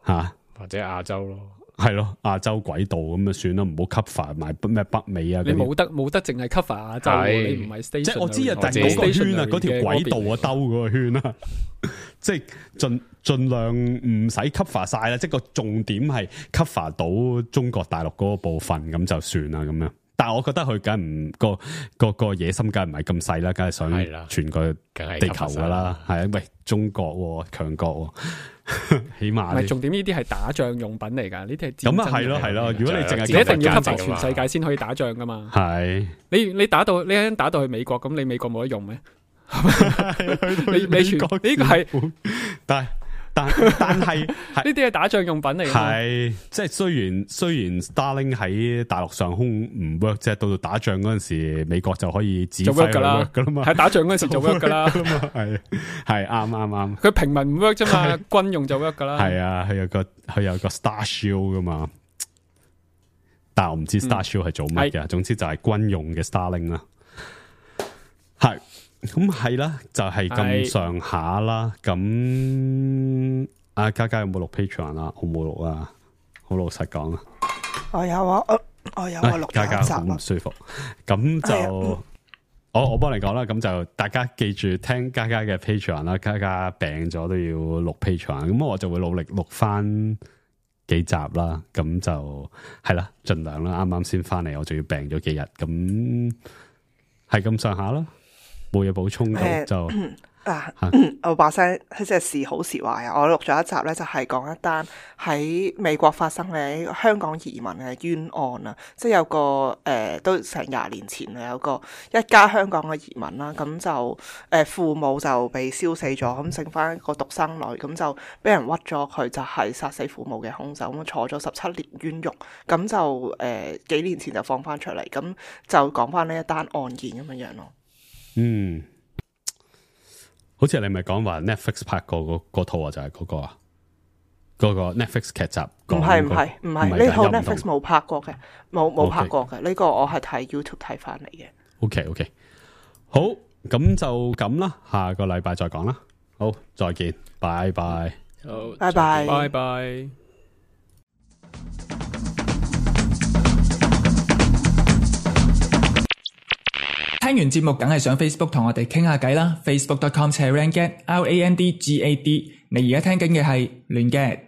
吓，或者亞洲咯，係咯，亞洲軌道咁就算啦，唔好 cover 埋咩北美啊。你冇得淨係 cover 亞洲，你唔係 station。即係我知啊，但係嗰個圈啊，嗰條軌道啊，兜嗰個圈啊，即係盡量唔使 cover 晒啦。即係個重點係 cover 到中國大陸嗰個部分咁就算啦咁樣。但係我覺得佢梗唔個野心梗係唔係咁細啦，梗係想全個地球噶啦。係啊，喂，中國強國，起碼唔係重點，呢啲係打仗用品嚟噶，呢啲係咁啊，係咯。如果你淨係你一定要 cover 全世界先可以打仗噶嘛。係你打到去美國，咁你美國冇得用咩？你全國呢個係，但係呢啲係打仗用品嚟嘅。係即係雖然 Starlink 喺大陸上空唔 work， 即係到打仗嗰陣時，美國就可以指揮佢 work 噶啦嘛。喺打仗嗰陣時就 work 噶啦，係啱。佢平民唔 work 啫嘛，軍用就 work 噶啦。係啊，佢有個 Star Shield 噶嘛，但係我唔知 Star Shield 係做乜嘅。總之就係軍用嘅 Starlink 啦，係。咁係啦，就係咁上下啦。咁阿嘉嘉有冇錄 Patreon 啊？我冇錄啊，好老實講啊。我有啊，我有啊，錄嘉嘉好唔舒服。咁就我幫你講啦。咁就大家記住聽嘉嘉嘅 Patreon 啦。嘉嘉病咗都要錄 Patreon，咁我就會努力錄翻幾集啦。咁就係啦，盡量啦。啱啱先翻嚟，我仲要病咗幾日，咁係咁上下啦。冇嘢補充到就我把聲即係時好時壞啊！我錄咗一集咧，就係講一單喺美國發生嘅香港移民嘅冤案啊！即係有個都成20年前啊，有一家香港嘅移民啦，咁就父母就被燒死咗，咁剩翻一個獨生女，咁就俾人屈咗佢，就係殺死父母嘅兇手，咁坐咗17年冤獄，咁就幾年前就放翻出嚟，咁就講翻呢一單案件咁樣樣咯。嗯。好似你咪講話 Netflix 拍過嗰套啊，就係嗰個啊，嗰個 Netflix 劇集。唔係，呢套 Netflix 冇拍過嘅，冇拍過嘅。呢個我係睇 YouTube 睇翻嚟嘅。OK， 好，咁就咁啦，下個禮拜再講啦。好，再見，拜拜。好，拜拜，拜拜。聽完節目梗係上 Facebook 同我哋傾下偈啦 ，facebook.com/randgad，RANDGAD。你而家聽緊嘅係亂 gad。